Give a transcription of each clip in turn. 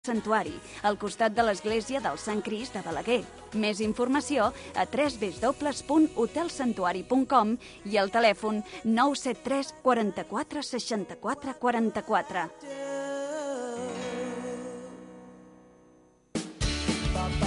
Santuari, al costat de l'església del Sant Crist de Balaguer. Més informació a www.hotelsantuari.com i al telèfon 973 44 64 44.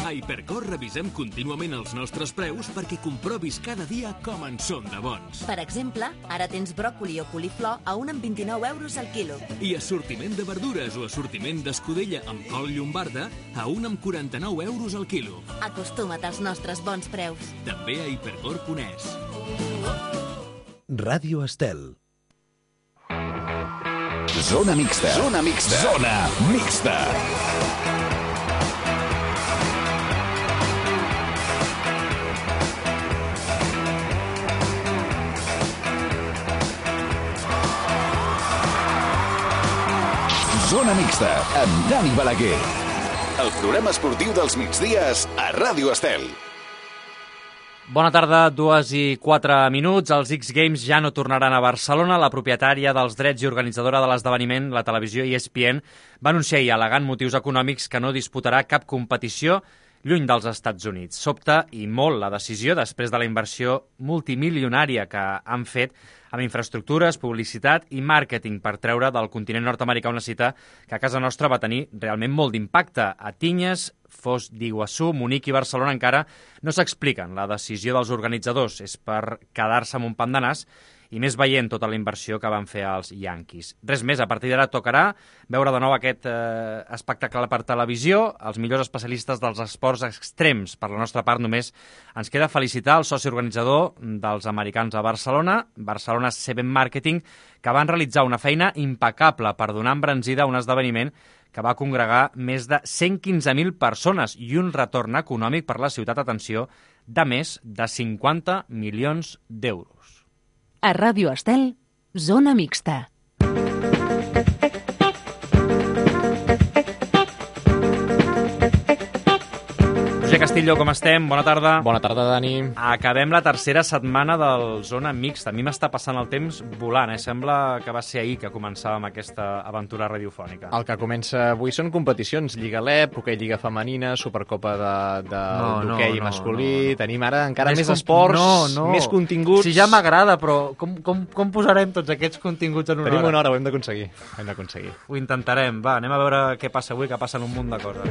A Hipercor revisem contínuament els nostres preus perquè comprovis cada dia com en són de bons. Per exemple, ara tens bròcoli o coliflor a 1,29 € al quilo. I assortiment de verdures o assortiment d'escudella amb col llombarda a 1,49 € al quilo. Acostuma't als nostres bons preus. També a hipercor.es. Ràdio Estel. Zona mixta. Zona mixta. Zona mixta. Zona mixta, amb Dani Balaguer. El programa esportiu dels migdies a Ràdio Estel. Bona tarda, 2:04. Els X Games ja no tornaran a Barcelona. La propietària dels drets i organitzadora de l'esdeveniment, la televisió ESPN, va anunciar ahir, al·legant motius econòmics, que no disputarà cap competició lluny dels Estats Units. Sobta i molt la decisió després de la inversió multimilionària que han fet amb infraestructures, publicitat i màrqueting per treure del continent nord-americà una cita que a casa nostra va tenir realment molt d'impacte. A Tinyes, Foz d'Iguassú, Munic i Barcelona encara no s'expliquen. La decisió dels organitzadors és per quedar-se amb un pam de nas i més veient tota la inversió que van fer els Yankees. Res més, a partir d'ara tocarà veure de nou aquest espectacle per televisió, els millors especialistes dels esports extrems. Per la nostra part, només ens queda felicitar el soci organitzador dels americans a Barcelona, Barcelona Seven Marketing, que van realitzar una feina impecable per donar embranzida a un esdeveniment que va congregar més de 115.000 persones i un retorn econòmic per la ciutat, atenció, de més de 50 milions d'euros. A Ràdio Estel, Zona Mixta. Roger Castillo, com estem? Bona tarda. Bona tarda, Dani. Acabem la tercera setmana del Zona Mixta. A mi m'està passant el temps volant, Sembla que va ser ahir que començàvem aquesta aventura radiofònica. El que comença avui són competicions. Lliga LEP, hoquei Lliga Femenina, Supercopa d'hoquei masculí... Tenim ara encara més esports, més continguts... Si ja m'agrada, però com posarem tots aquests continguts en una hora? Tenim una hora, ho hem d'aconseguir. Ho intentarem. Va, anem a veure què passa avui, que passen un munt de coses.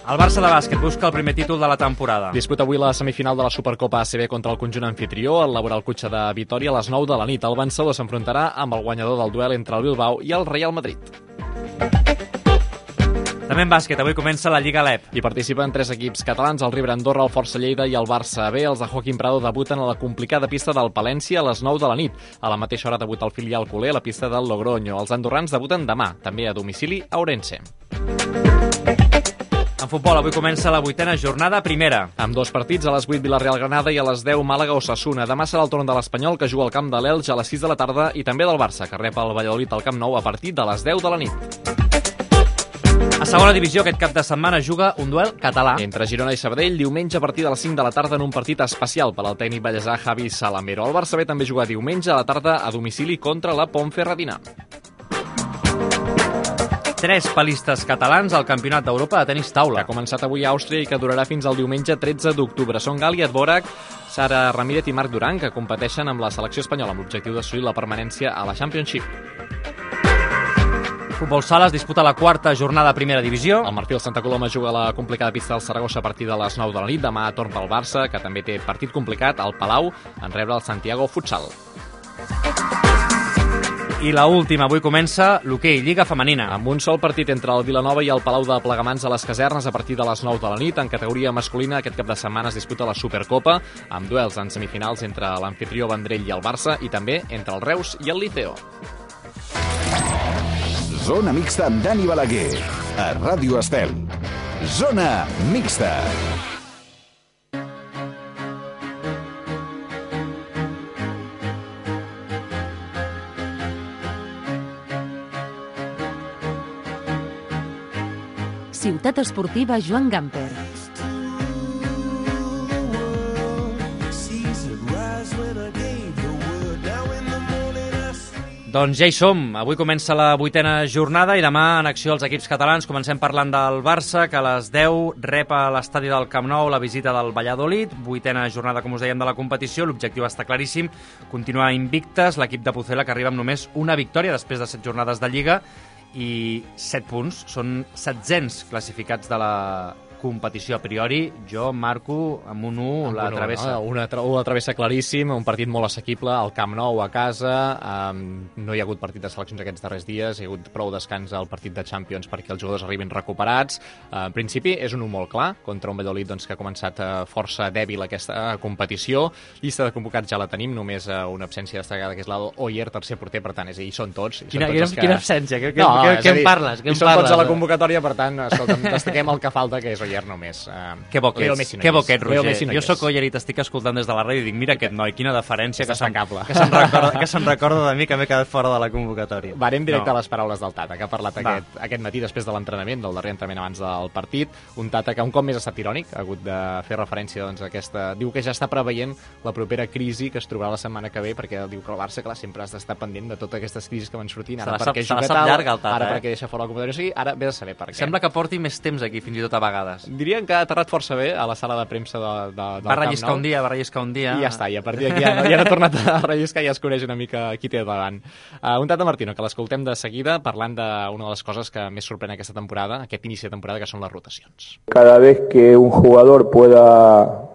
El Barça de bàsquet busca el primer títol de la temporada. Disputa avui la semifinal de la Supercopa ACB contra el conjunt anfitrió, el Laboral Cutxa de Vitòria, a les 9 de la nit. El vencedor s'enfrontarà amb el guanyador del duel entre el Bilbao i el Real Madrid. També en bàsquet, avui comença la Lliga LEP. Hi participen 3 equips catalans, el River Andorra, el Força Lleida i el Barça B. Els de Joaquim Prado debuten a la complicada pista del Palència a les 9 de la nit. A la mateixa hora debuta el filial culer a la pista del Logroño. Els andorrans debuten demà, també a domicili a Ourense. En futbol, avui comença la 8ª jornada primera. Amb 2 partits, a les 8 Villarreal-Granada i a les 10 Màlaga-Osasuna. Demà serà el torn de l'Espanyol, que juga al camp de l'Elx a les 6 de la tarda, i també del Barça, que rep el Valladolid al Camp Nou a partir de les 10 de la nit. A segona divisió, aquest cap de setmana juga un duel català. Entre Girona i Sabadell, diumenge a partir de les 5 de la tarda en un partit especial per al tècnic ballesà Javi Salamero. El Barça B també juga diumenge a la tarda a domicili contra la Ponferradina. 3 palistes catalans al Campionat d'Europa de tenis taula. Que ha començat avui a Àustria i que durarà fins al diumenge 13 d'octubre. Són Gali Dvorak, Sara Ramírez i Marc Duran, que competeixen amb la selecció espanyola amb l'objectiu d'assolir la permanència a la Championship. Futbol sala es disputa la 4ª jornada de primera divisió. El Marfil Santa Coloma juga a la complicada pista del Saragossa a partir de les 9 de la nit. Demà torn pel Barça, que també té partit complicat al Palau, en rebre el Santiago Futsal. I la última, avui comença l'hoquei Lliga Femenina. Amb un sol partit entre el Vilanova i el Palau de Plegamans a les Casernes a partir de les 9 de la nit. En categoria masculina, aquest cap de setmana es disputa la Supercopa, amb duels en semifinals entre l'anfitrió Vendrell i el Barça, i també entre el Reus i el Liceo. Zona mixta amb Dani Balaguer, a Ràdio Estel. Zona mixta. Ciutat Esportiva Joan Gamper. Doncs ja hi som. Avui comença la 8ª jornada i demà en acció els equips catalans. Comencem parlant del Barça, que a les 10 rep a l'estadi del Camp Nou la visita del Valladolid. 8ª jornada, com us dèiem, de la competició. L'objectiu està claríssim, continuar invictes. L'equip de Pucela, que arriba amb només una victòria després de 7 jornades de Lliga i 7 punts. Són 700 classificats de la competició. A priori, jo marco amb un 1 la travessa. La travessa claríssim, un partit molt assequible, al Camp Nou a casa, no hi ha hagut partit de seleccions aquests darrers dies, hi ha hagut prou descans al partit de Champions perquè els jugadors arribin recuperats. En principi és un 1 molt clar, contra un Valladolid doncs, que ha començat força dèbil aquesta competició. Llista de convocats ja la tenim, només una absència destacada, que és l'Ado Oyer, tercer porter, per tant, és a dir, són tots. Quina absència? Què em parles? Són tots a la convocatòria, per tant, escolta'm, destaquem el que falta, que és Oyer només. Que bo que ets, Roger. Jo sóc Oyer i t'estic escoltant des de la ràdio i dic, mira aquest noi, quina deferència, que se'n recorda de mi que m'he quedat fora de la convocatòria. Varem directe a les paraules del Tata, que ha parlat aquest matí després de l'entrenament, del darrer entrenament abans del partit. Un Tata que un cop més ha estat irònic, ha hagut de fer referència doncs, a aquesta... Diu que ja està preveient la propera crisi que es trobarà la setmana que ve, perquè diu que el Barça, clar, sempre has d'estar pendent de totes aquestes crisis que van sortint, ara perquè juga tal, ara perquè deixa fora la competició, o sigui, ara vés a saber per què. Sembla que porti més temps aquí, fins i tot a vegades. Dirien que ha aterrat força bé a la sala de premsa del va relliscar un dia. I ja està, i a partir d'aquí ja no ha tornat a relliscar, ja es coneix una mica qui té davant. Un Tata Martino, que l'escoltem de seguida parlant d'una de les coses que més sorprèn aquesta temporada, aquest inici de temporada, que són les rotacions. Cada vez que un jugador pueda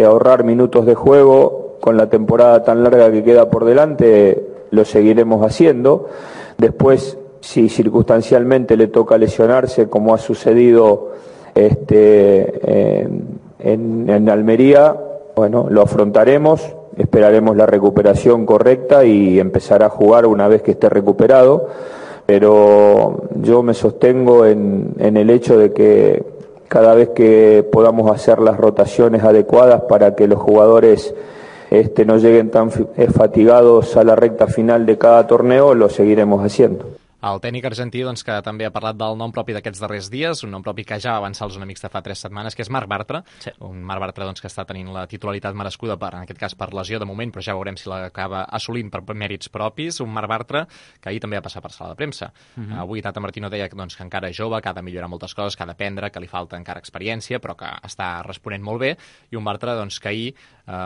ahorrar minutos de juego con la temporada tan larga que queda por delante, lo seguiremos haciendo. Después, si circunstancialmente le toca lesionarse, como ha sucedido en Almería, bueno, lo afrontaremos, esperaremos la recuperación correcta y empezará a jugar una vez que esté recuperado, pero yo me sostengo en el hecho de que cada vez que podamos hacer las rotaciones adecuadas para que los jugadores no lleguen tan fatigados a la recta final de cada torneo, lo seguiremos haciendo. El tècnic argentí, doncs, que també ha parlat del nom propi d'aquests darrers dies, un nom propi que ja va avançar als Zona Mixta fa 3 setmanes, que és Marc Bartra. Sí. Un Marc Bartra doncs, que està tenint la titularitat merescuda, en aquest cas per lesió de moment, però ja veurem si l'acaba assolint per mèrits propis. Un Marc Bartra que ahir també va passar per sala de premsa. Avui Tata Martino deia doncs, que encara és jove, que ha de millorar moltes coses, que ha d'aprendre, que li falta encara experiència, però que està responent molt bé. I un Bartra doncs, que ahir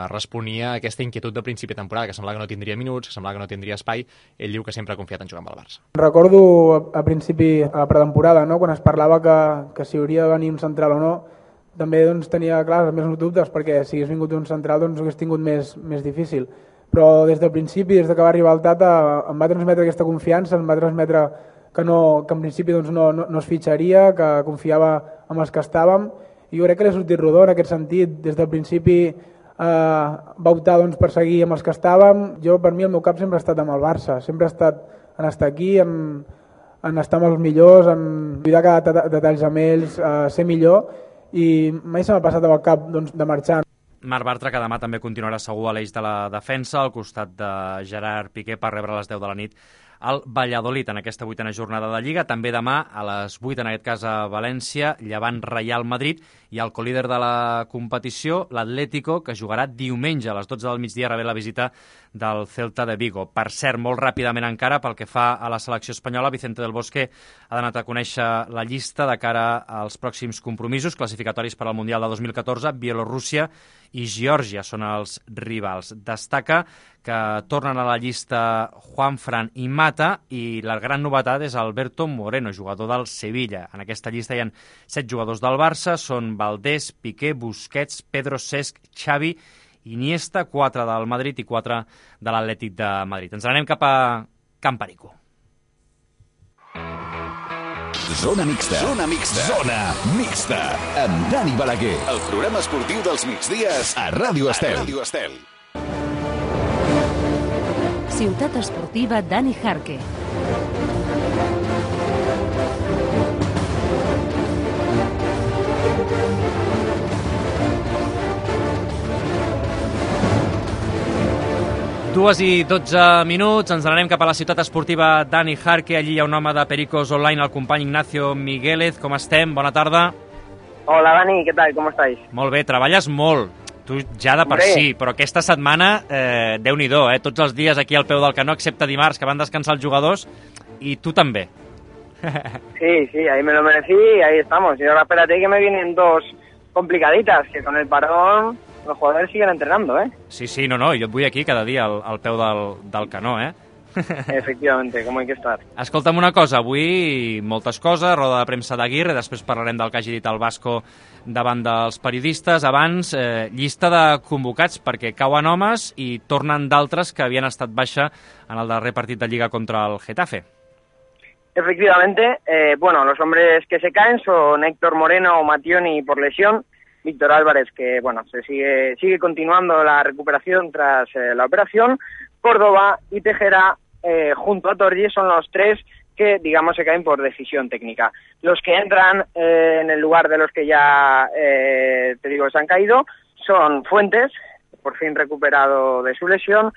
responia a aquesta inquietud de principi de temporada, que semblava que no tindria minuts, que semblava que no tindria espai. Ell diu que sempre ha confiat en jugar amb el Barça. Recordo a principi, a la pretemporada, no? Quan es parlava que si hauria de venir un central o no, també doncs, tenia clars més dubtes, perquè si hagués vingut un central doncs, ho hagués tingut més difícil. Però des del principi, des que va arribar el Tata, em va transmetre aquesta confiança, em va transmetre que en principi doncs, no es fitxaria, que confiava en els que estàvem, i jo crec que l'he sortit rodó en aquest sentit. Des del principi va optar doncs, per seguir amb els que estàvem. Per mi el meu cap sempre ha estat amb el Barça, sempre ha estat en estar aquí, en estar amb els millors, en cuidar cada detalls amb ells, ser millor, i mai se m'ha passat al cap doncs, de marxar. Marc Bartra, que demà també continuarà segur a l'eix de la defensa, al costat de Gerard Piqué, per rebre a les 10 de la nit al Valladolid en aquesta 8ª jornada de Lliga. També demà a les 8, en aquest cas a València, Llevant Reial Madrid, i el colíder de la competició, l'Atlético, que jugarà diumenge a les 12 del migdia, rebent la visita del Celta de Vigo. Per cert, molt ràpidament encara, pel que fa a la selecció espanyola, Vicente del Bosque ha donat a conèixer la llista de cara als pròxims compromisos classificatoris per al Mundial de 2014. Bielorússia i Geòrgia són els rivals. Destaca que tornen a la llista Juanfran i Mata, i la gran novetat és Alberto Moreno, jugador del Sevilla. En aquesta llista hi ha 7 jugadors del Barça, són Valdés, Piqué, Busquets, Pedro, Cesc, Xavi, Iniesta, 4 del Madrid i 4 de l'Atlètic de Madrid. Ens anem cap a Can Perico. Zona Mixta. Zona Mixta. Zona Mixta. Amb Dani Balaguer. El programa esportiu dels migdies a Ràdio Estel. Ciutat Esportiva Dani Jarque. Dues i 12 minuts, ens n'anem cap a la ciutat esportiva Dani Jarque. Allí hi ha un home de Pericos Online, el company Ignacio Miguélez. Com estem? Bona tarda. Hola Dani, ¿qué tal? ¿Cómo estáis? Molt bé, treballes molt. Tu ja de per sí, però aquesta setmana, Déu-n'hi-do, tots els dies aquí al peu del canó, excepte dimarts, que van descansar els jugadors, y tú también. Sí, ahí me lo merecí y ahí estamos. Y ahora espérate que me vienen 2 complicaditas, que con el parón los jugadores siguen entrenando, Sí, no, jo et vull aquí cada dia al peu del canó, Efectivamente, como hay que estar. Escolta'm una cosa, avui moltes coses, roda de premsa d'Aguirre, després parlarem del que hagi dit el Vasco davant dels periodistes. Abans, llista de convocats, perquè cauen homes i tornen d'altres que havien estat baixa en el darrer partit de Lliga contra el Getafe. Efectivamente, los hombres que se caen son Héctor Moreno o Mattioni por lesión, Víctor Álvarez, que se sigue continuando la recuperación tras la operación, Córdoba y Tejera junto a Torgi son los 3 que, digamos, se caen por decisión técnica. Los que entran en el lugar de los que ya, se han caído son Fuentes, por fin recuperado de su lesión,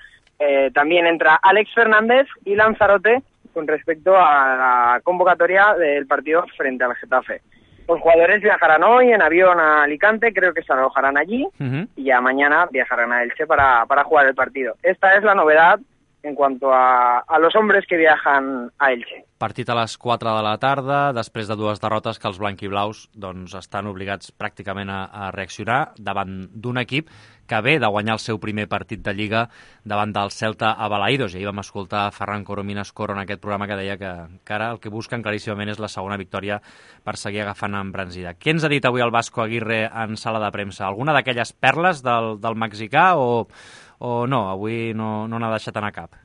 también entra Alex Fernández y Lanzarote con respecto a la convocatoria del partido frente al Getafe. Los jugadores viajarán hoy en avión a Alicante, creo que se alojarán allí, y ya mañana viajarán a Elche para jugar el partido. Esta es la novedad en cuanto a los hombres que viajan a Elche. Partit a les 4 de la tarda, després de 2 derrotes que els blanquiblaus estan obligats pràcticament a reaccionar davant d'un equip que ve de guanyar el seu primer partit de Lliga davant del Celta a Balaïdos. I ahir vam escoltar Ferran Coromines Coro en aquest programa que deia que ara el que busquen claríssimament és la segona victòria per seguir agafant embranzida. Què ens ha dit avui el Vasco Aguirre en sala de premsa? Alguna d'aquelles perles del mexicà o no? Avui no n'ha deixat anar cap.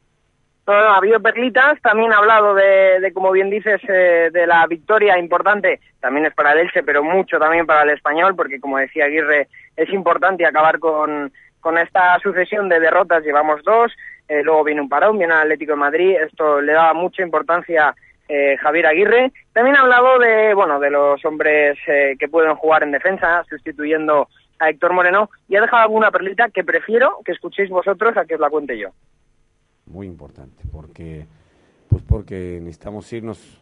No, ha habido perlitas, también ha hablado de, como bien dices, de la victoria importante, también es para el Elche, pero mucho también para el Español, porque como decía Aguirre, es importante acabar con esta sucesión de derrotas, llevamos 2, luego viene un parón, viene el Atlético de Madrid, esto le daba mucha importancia Javier Aguirre. También ha hablado de los hombres que pueden jugar en defensa, sustituyendo a Héctor Moreno, y ha dejado alguna perlita que prefiero que escuchéis vosotros a que os la cuente yo. Muy importante, porque necesitamos irnos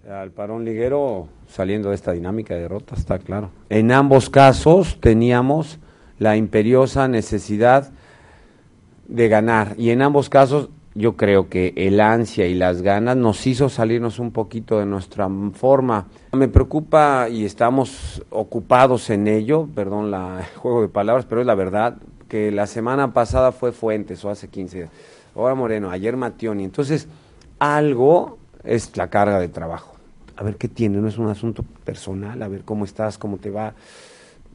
al parón liguero saliendo de esta dinámica de derrotas, está claro. En ambos casos teníamos la imperiosa necesidad de ganar, y en ambos casos yo creo que el ansia y las ganas nos hizo salirnos un poquito de nuestra forma. Me preocupa, y estamos ocupados en ello, perdón el juego de palabras, pero es la verdad, que la semana pasada fue Fuentes, o hace 15 días. Ahora Moreno, ayer Mattioni. Entonces, algo es la carga de trabajo. A ver qué tiene, no es un asunto personal, a ver cómo estás, cómo te va,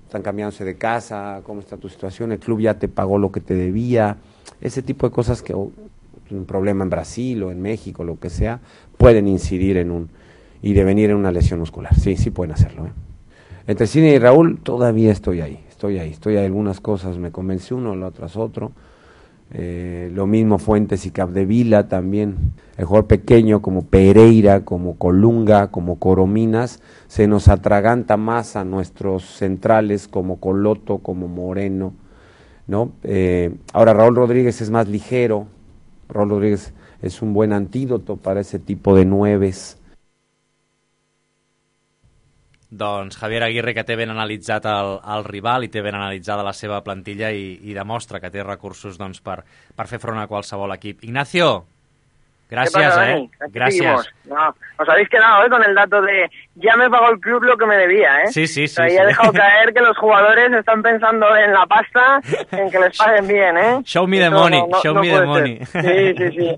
están cambiándose de casa, cómo está tu situación, el club ya te pagó lo que te debía, ese tipo de cosas que un problema en Brasil o en México, lo que sea, pueden incidir y devenir en una lesión muscular. Sí pueden hacerlo. Entre Cine y Raúl todavía estoy ahí. Algunas cosas me convence uno, las otras otro. Lo mismo Fuentes y Capdevila también, el jugador pequeño como Pereira, como Colunga, como Corominas, se nos atraganta más a nuestros centrales como Coloto, como Moreno, ¿no? Ahora Raúl Rodríguez es más ligero, Raúl Rodríguez es un buen antídoto para ese tipo de nueves. Doncs Javier Aguirre, que té ben analitzat el rival i té ben analitzada la seva plantilla i demostra que té recursos per fer front a qualsevol equip. Ignacio, gracias, gracias. No, os habéis quedado con el dato de ya me pagó el club lo que me debía, Sí. Ahí he dejado caer que los jugadores están pensando en la pasta, en que les paguen bien, Show me the money, show me the money. Sí.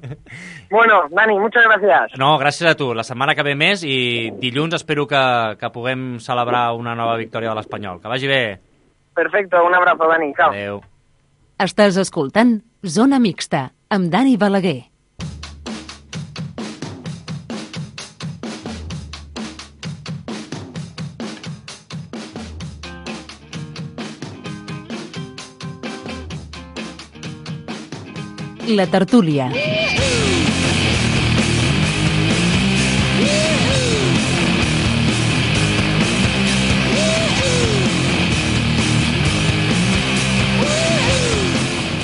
Bueno, Dani, muchas gracias. No, gràcies a tu. La setmana que ve més i dilluns espero que puguem celebrar una nova victòria de l'Espanyol. Que vagi bé. Perfecto, un abrazo, Dani. Chao. Adéu. Estàs escoltant Zona Mixta amb Dani Balaguer. La tertúlia.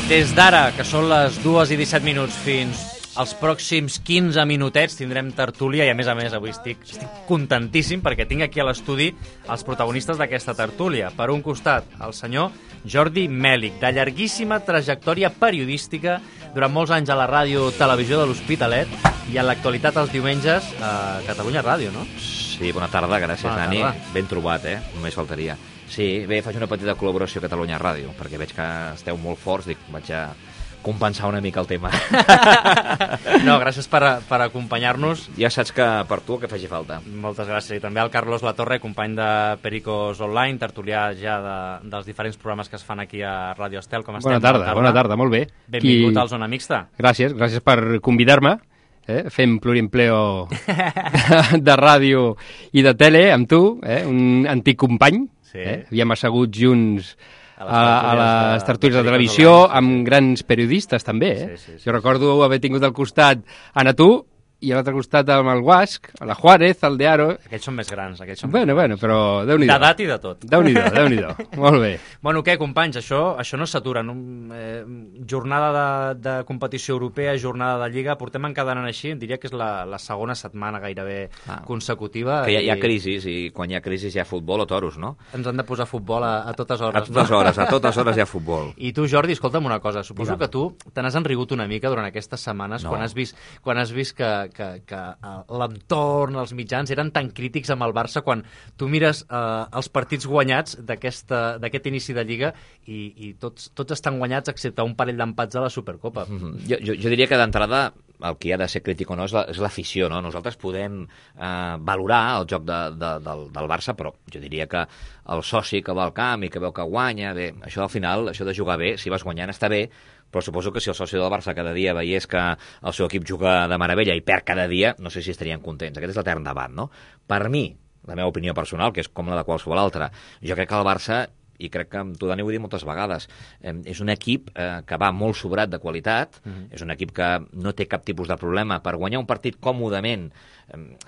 Des d'ara, que són les 2:17 fins als pròxims 15 minutets, tindrem tertúlia i, a més, avui estic contentíssim perquè tinc aquí a l'estudi els protagonistes d'aquesta tertúlia. Per un costat, el senyor Jordi Mèlic, de llarguíssima trajectòria periodística, durant molts anys a la ràdio Televisió de l'Hospitalet i en l'actualitat els diumenges a Catalunya Ràdio, no? Sí, bona tarda, gràcies, Dani. Ben trobat, només faltaria. Sí, bé, faig una petita col·laboració a Catalunya Ràdio, perquè veig que esteu molt forts, dic, vaig a compensar una mica el tema. No, gràcies per acompanyar-nos. Ja saps que per tu el que faci falta. Moltes gràcies. I també al Carlos Latorre, company de Pericos Online, tertulià ja dels diferents programes que es fan aquí a Ràdio Estel. Com estem? Bona tarda, molt bé. Benvingut al Zona Mixta. Gràcies per convidar-me. Fem plurimpleo de ràdio i de tele amb tu, un antic company. Havíem assegut junts a les tertúlies de televisió amb grans periodistes també. Jo recordo haver tingut al costat Ana Tu i a l'altre costat amb el Guasc, la Juárez, el de Aro. Aquests són més grans. Bueno, però Déu-n'hi-do. D'edat i de tot. Déu-n'hi-do. Molt bé. Bueno, què, companys? Això no s'atura. Jornada de competició europea, jornada de Lliga, portem encadenant així, diria que és la segona setmana gairebé consecutiva. Que hi ha crisis, i quan hi ha crisis hi ha futbol o toros, no? Ens han de posar futbol a totes hores. A totes hores hi ha futbol. I tu, Jordi, escolta'm una cosa. Suposo que tu te n'has enrigut una mica durant aquestes setmanes quan has vist que l'entorn, els mitjans eren tan crítics amb el Barça quan tu mires els partits guanyats d'aquest inici de Lliga i tots estan guanyats excepte un parell d'empats a la Supercopa. Jo diria que d'entrada el que ha de ser crític o no és l'afició, no? Nosaltres podem valorar el joc del Barça, però jo diria que el soci que va al camp i que veu que guanya, bé, això al final, això de jugar bé, si vas guanyant està bé, però suposo que si el soci del Barça cada dia veiés que el seu equip juga de meravella i perd cada dia, no sé si estarien contents. Aquest és l'etern debat, no? Per mi, la meva opinió personal, que és com la de qualsevol altra, jo crec que el Barça, i crec que amb tu, Dani, ho he dit moltes vegades, és un equip que va molt sobrat de qualitat, és un equip que no té cap tipus de problema per guanyar un partit còmodament,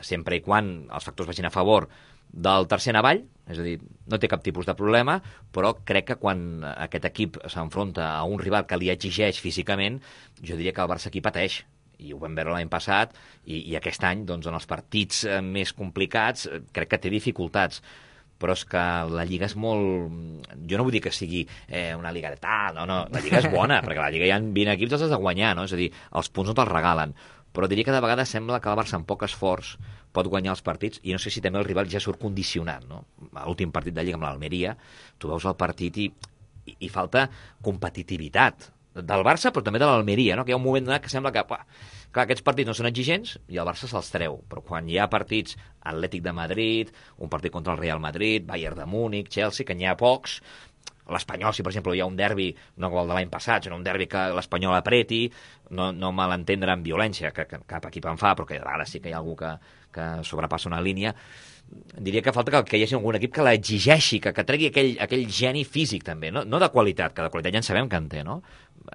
sempre i quan els factors vagin a favor del tercer en avall, és a dir, no té cap tipus de problema, però crec que quan aquest equip s'enfronta a un rival que li exigeix físicament, jo diria que el Barça aquí pateix, i ho vam veure l'any passat, i aquest any, doncs, en els partits més complicats, crec que té dificultats. Però és que la Lliga és molt... Jo no vull dir que sigui una Lliga de tal, no, la Lliga és bona, perquè la Lliga hi ha 20 equips, els has de guanyar, no? És a dir, els punts no te'ls regalen. Però diria que de vegades sembla que el Barça amb poc esforç pot guanyar els partits, i no sé si també el rival ja surt condicionat, no? A l'últim partit de Lliga amb l'Almeria, tu veus el partit i falta competitivitat del Barça, però també de l'Almeria, no? Que hi ha un moment donat que sembla que, clar, aquests partits no són exigents i el Barça se'ls treu, però quan hi ha partits Atlètic de Madrid, un partit contra el Real Madrid, Bayern de Múnich, Chelsea, que n'hi ha pocs, l'Espanyol, si per exemple hi ha un derbi, no com el de l'any passat, sinó un derbi que l'Espanyol apreti, no malentendre amb violència, que cap equip en fa, però que de vegades sí que hi ha algú que sobrepassa una línia, diria que falta que hi hagi algun equip que l'exigeixi, que tregui aquell geni físic també, no de qualitat, que de qualitat ja en sabem que en té, no?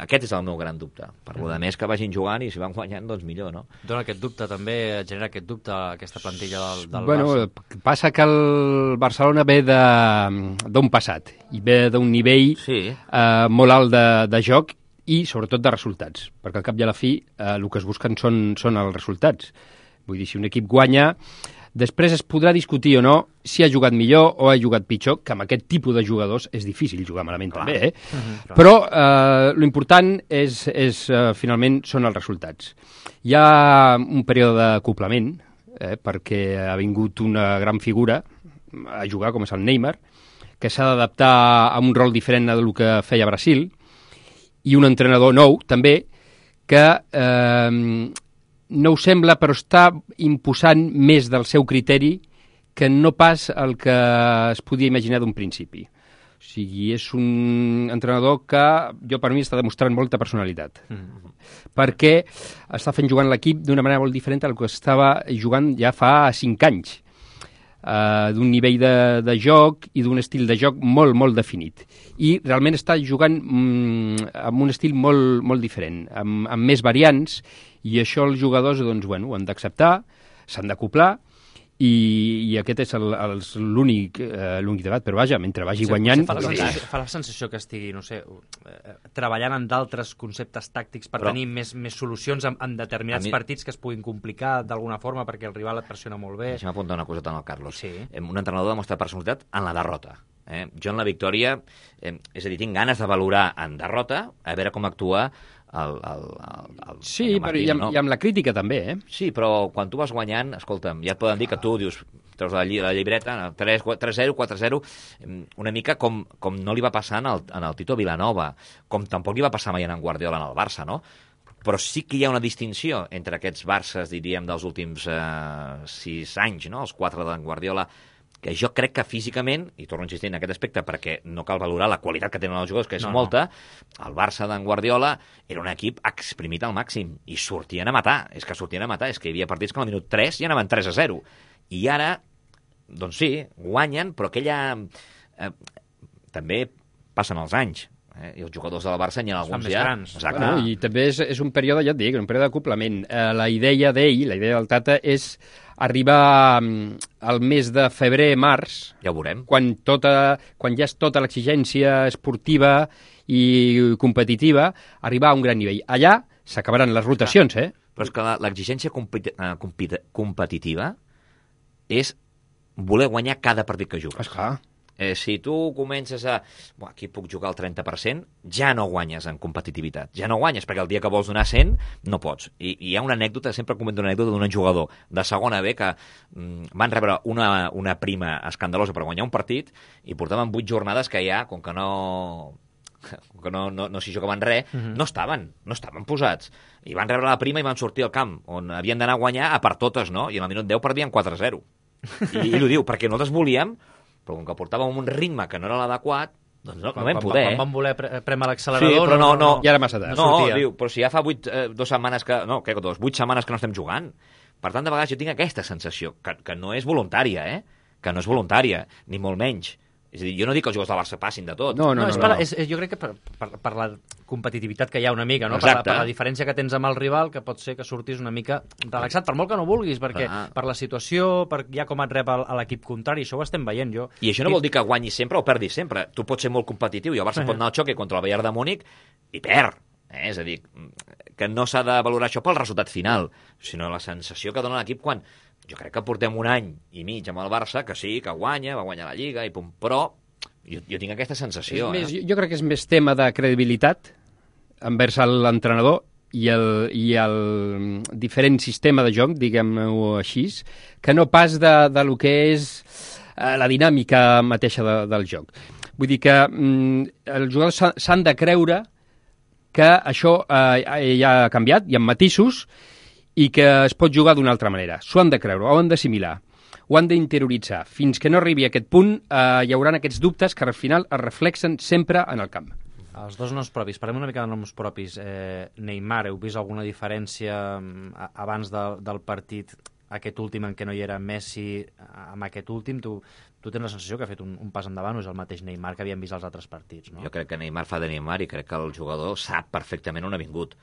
Aquest és el meu gran dubte. Per lo de més que vagin jugant i si van guanyant, doncs millor, no? Dona aquest dubte també, genera aquest dubte aquesta plantilla del Barça? Passa que el Barcelona ve d'un passat i ve d'un nivell molt alt de joc i sobretot de resultats, perquè al cap i a la fi el que es busquen són els resultats. Vull dir, si un equip guanya, després es podrà discutir o no si ha jugat millor o ha jugat pitjor, que amb aquest tipus de jugadors és difícil jugar malament també, Però l'important finalment són els resultats. Hi ha un període d'acoplament, perquè ha vingut una gran figura a jugar, com és el Neymar, que s'ha d'adaptar a un rol diferent del que feia Brasil, i un entrenador nou, també, que no ho sembla, però està imposant més del seu criteri que no pas el que es podia imaginar d'un principi. O sigui, és un entrenador que jo per mi està demostrant molta personalitat. Perquè està fent jugant l'equip d'una manera molt diferent del que estava jugant ja fa 5 anys. D'un nivell de joc i d'un estil de joc molt, molt definit. I realment està jugant amb un estil molt, molt diferent, amb més variants, i això els jugadors doncs, ho han d'acceptar, s'han d'acoplar, i aquest és l'únic debat, però vaja, mentre vagi guanyant... Fa la sensació que estigui, no sé, treballant en d'altres conceptes tàctics per tenir més solucions en determinats partits que es puguin complicar d'alguna forma perquè el rival et pressiona molt bé. Deixa'm apuntar una coseta al Carlos. Un entrenador demostra personalitat en la derrota. Jo en la victòria, és a dir, tinc ganes de valorar en derrota, a veure com actua el sí, però i amb la crítica també, Sí, però quan tu vas guanyant, escolta'm, ja et poden dir que tu dius, treus la llibreta, 3-0, 4-0, una mica com no li va passar en el Tito Vilanova, com tampoc li va passar mai en Guardiola en el Barça, no? Però sí que hi ha una distinció entre aquests Barças, diríem, dels últims 6 anys, no? Els 4 d'en Guardiola, que jo crec que físicament, i torno a insistir en aquest aspecte perquè no cal valorar la qualitat que tenen els jugadors, que és molta, el Barça d'en Guardiola era un equip exprimit al màxim i sortien a matar, és que hi havia partits que al minut 3 ja anaven 3-0, i ara, doncs sí, guanyen, però aquella... també passen els anys, i els jugadors del Barça n'hi ha alguns ja... Exacte. Bueno, i també és un període, ja et dic, un període d'acoplament. La idea d'ell, la idea del Tata, és arribar al mes de febrer-març, ja ho veurem, quan ja és tota l'exigència esportiva i competitiva, arribar a un gran nivell. Allà s'acabaran les rotacions, Però és que l'exigència competitiva és voler guanyar cada partit que jugues. Esclar. Si tu comences a... aquí puc jugar al 30%, ja no guanyes en competitivitat. Ja no guanyes, perquè el dia que vols donar 100 no pots. I hi ha una anècdota, sempre comento una anècdota d'un jugador de segona B que van rebre una prima escandalosa per guanyar un partit i portaven 8 jornades que ja, com que no s'hi jugaven res, no estaven posats. I van rebre la prima i van sortir al camp, on havien d'anar a guanyar a per totes, no? I en el minut 10 perdien 4-0. I ell ho diu, perquè nosaltres volíem, però com que portàvem un ritme que no era l'adequat, doncs no vam poder. Quan vam voler prémer l'accelerador... Sí, però no. Ja era massa tard. No, diu, però si ja fa 8 setmanes que... No, 8 setmanes que no estem jugant. Per tant, de vegades jo tinc aquesta sensació, que no és voluntària, que no és voluntària, ni molt menys. És a dir, jo no dic que els jugadors del Barça passin de tot. No. Jo crec que per la competitivitat que hi ha una mica, no? Per la diferència que tens amb el rival, que pot ser que surtis una mica relaxat, per molt que no vulguis, perquè per la situació, per ja com et rep a l'equip contrari, això ho estem veient jo. I això no vol dir que guanyis sempre o perdis sempre. Tu pots ser molt competitiu i el Barça pot anar al xoc contra el Bayern de Múnich i perd. És a dir, que no s'ha de valorar això pel resultat final, sinó la sensació que dona l'equip quan... Jo crec que portem un any i mig amb el Barça, que sí, que guanya, va guanyar la Lliga, però jo tinc aquesta sensació. Jo crec que és més tema de credibilitat envers l'entrenador i el diferent sistema de joc, diguem-ho així, que no pas de lo que és la dinàmica mateixa del joc. Vull dir que els jugadors s'han de creure que això ja ha canviat, hi ha matisos, i que es pot jugar d'una altra manera. S'ho han de creure, ho han d'assimilar, ho han d'interioritzar. Fins que no arribi a aquest punt, hi haurà aquests dubtes que al final es reflexen sempre en el camp. Els dos noms propis, parlem una mica de noms propis. Neymar, heu vist alguna diferència abans del partit, aquest últim en què no hi era Messi, amb aquest últim? Tu tens la sensació que ha fet un pas endavant o és el mateix Neymar que havíem vist als altres partits, no? Jo crec que Neymar fa de Neymar i crec que el jugador sap perfectament on ha vingut.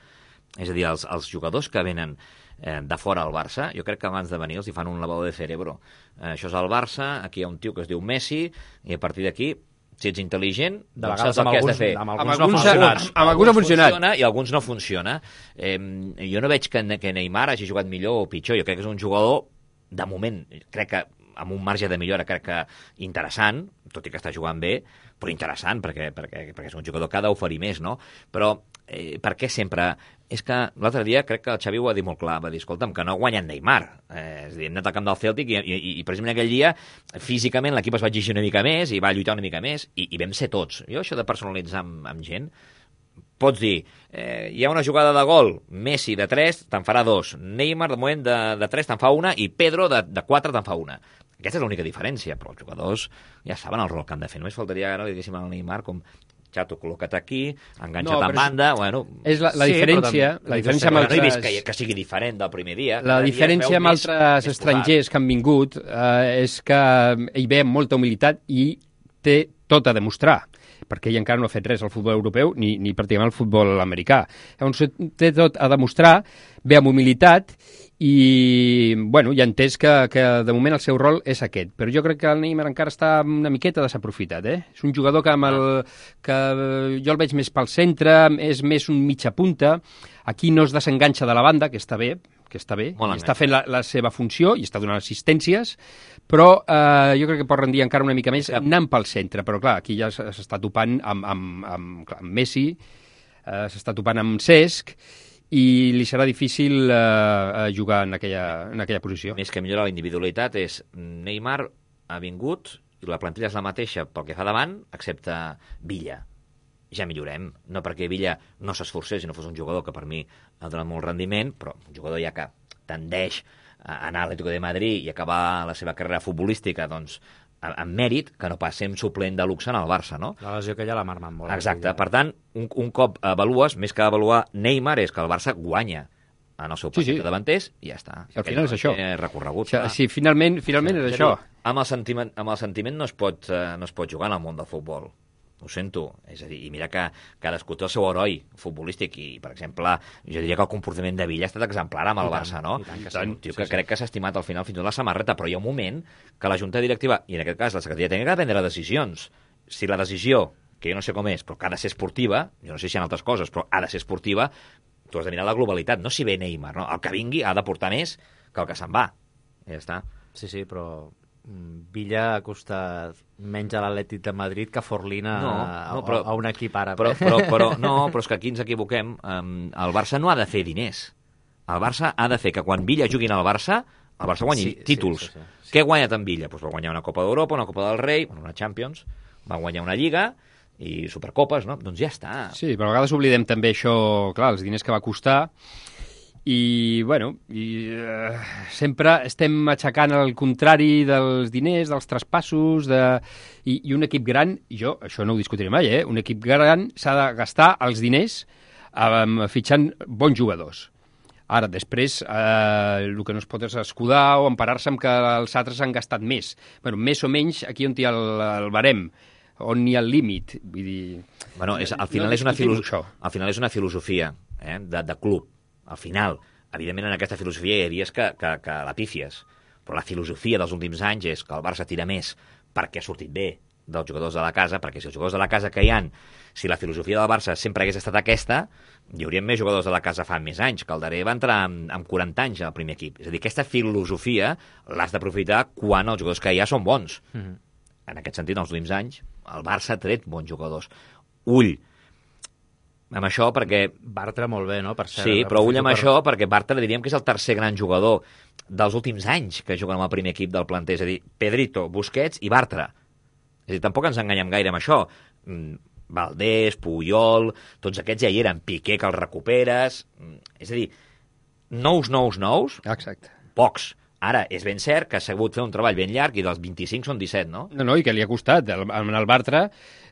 És a dir, els jugadors que venen de fora al Barça, jo crec que abans de venir els hi fan un lavado de cerebro. Això és el Barça, aquí hi ha un tio que es diu Messi, i a partir d'aquí, si ets intel·ligent, doncs saps el que has de fer. Amb alguns no ha funcionat. I alguns no funciona. Jo no veig que Neymar hagi jugat millor o pitjor. Jo crec que és un jugador, de moment, crec que amb un marge de millora, crec que interessant, tot i que està jugant bé, però interessant, perquè és un jugador que ha d'oferir més, no? Però per què sempre... És que l'altre dia crec que el Xavi ho va dir molt clar, va dir, escolta'm, que no ha guanyat Neymar. És a dir, hem anat al camp del Celtic i precisament aquell dia, físicament, l'equip es va exigir una mica més i va lluitar una mica més i vam ser tots. Jo això de personalitzar amb gent, pots dir, hi ha una jugada de gol, Messi de 3 te'n farà 2, Neymar de moment de 3 te'n fa 1 i Pedro de 4 te'n fa 1. Aquesta és l'única diferència, però els jugadors ja saben el rol que han de fer. Només faltaria que no li diguéssim al Neymar com xato, col·loca't aquí, enganxa't en banda... Bueno, és la diferència... La diferència amb altres... No he vist que sigui diferent del primer dia. La diferència amb altres estrangers que han vingut és que ell ve amb molta humilitat i té tot a demostrar, perquè ell encara no ha fet res al futbol europeu ni pràcticament al futbol americà. Llavors té tot a demostrar, ve amb humilitat i, bueno, ja he entès que de moment el seu rol és aquest. Però jo crec que el Neymar encara està una miqueta desaprofitat, És un jugador que jo el veig més pel centre, és més un mitja punta. Aquí no es desenganxa de la banda, que està bé, que està bé, Molt i està fent la seva funció i està donant assistències, però jo crec que pot rendir encara una mica més anant pel centre, però clar, aquí ja s'està topant amb Messi, s'està topant amb Cesc, i li serà difícil jugar en aquella posició. Més que millora la individualitat és Neymar ha vingut i la plantilla és la mateixa pel que fa davant, excepte Villa. Ja millorem, no perquè Villa no s'esforcés i no fos un jugador que per mi ha donat molt rendiment, però un jugador ja que tendeix a anar a l'Atlético de Madrid i acabar la seva carrera futbolística doncs, amb mèrit, que no pas ser suplent de luxe en el Barça, no? La lesió que ja l'ha marmat molt. Exacte, per tant, un cop avalues, més que avaluar Neymar, és que el Barça guanya en el seu partit de davanters i ja està. Al final és això. Recorregut. Sí, finalment és això. Amb el sentiment no es pot jugar en el món del futbol. Ho sento. És a dir, i mira que cadascú té el seu heroi futbolístic i, per exemple, jo diria que el comportament de Villa ha estat exemplar amb el Barça, no? Un tio que crec que s'ha estimat al final fins i tot la samarreta, però hi ha un moment que la Junta Directiva, i en aquest cas la Secretaria Tècnica, ha de prendre decisions. Si la decisió, que jo no sé com és, però que ha de ser esportiva, jo no sé si hi ha altres coses, però ha de ser esportiva, tu has de mirar la globalitat, no si ve Neymar, no? El que vingui ha de portar més que el que se'n va. I ja està. Sí, però Villa ha costat menys a l'Atlètic de Madrid que Forlina a un equip àrab. Però és que aquí ens equivoquem. El Barça no ha de fer diners. El Barça ha de fer que quan Villa juguin al Barça, el Barça guanyi títols. Sí. Què ha guanyat en Villa? Pues va guanyar una Copa d'Europa, una Copa del Rei, una Champions, va guanyar una Lliga i Supercopes, no? Doncs ja està. Sí, però a vegades oblidem també això, clar, els diners que va costar. I, sempre estem aixecant el contrari dels diners, dels traspassos, i un equip gran, jo això no ho discutiré mai, un equip gran s'ha de gastar els diners fitxant bons jugadors. Ara, després, el que no es pot és escudar o emparar-se amb que els altres han gastat més. Més o menys aquí on hi ha el barem, on hi ha el límit. Vull dir... Al final és una filosofia de club. Al final, evidentment, en aquesta filosofia hi ha dies que la pífies, però la filosofia dels últims anys és que el Barça tira més perquè ha sortit bé dels jugadors de la casa, perquè si els jugadors de la casa que hi han, si la filosofia del Barça sempre hagués estat aquesta, hi haurien més jugadors de la casa fa més anys. Calderé va entrar amb 40 anys al primer equip. És a dir, aquesta filosofia l'has d'aprofitar quan els jugadors que hi ha són bons. En aquest sentit, en els últims anys, el Barça ha tret bons jugadors. Ull amb això, perquè... Bartra molt bé, no? Per cert, sí, però ull amb això, perquè Bartra diríem que és el tercer gran jugador dels últims anys que juguen amb el primer equip del planter. És a dir, Pedrito, Busquets i Bartra. És a dir, tampoc ens enganyem gaire amb això. Valdés, Puyol, tots aquests ja hi eren. Piqué, que els recuperes... És a dir, nous. Exacte. Pocs. Ara, és ben cert que ha sabut fer un treball ben llarg i dels 25 són 17, no? No, i que li ha costat. Amb el Bartra,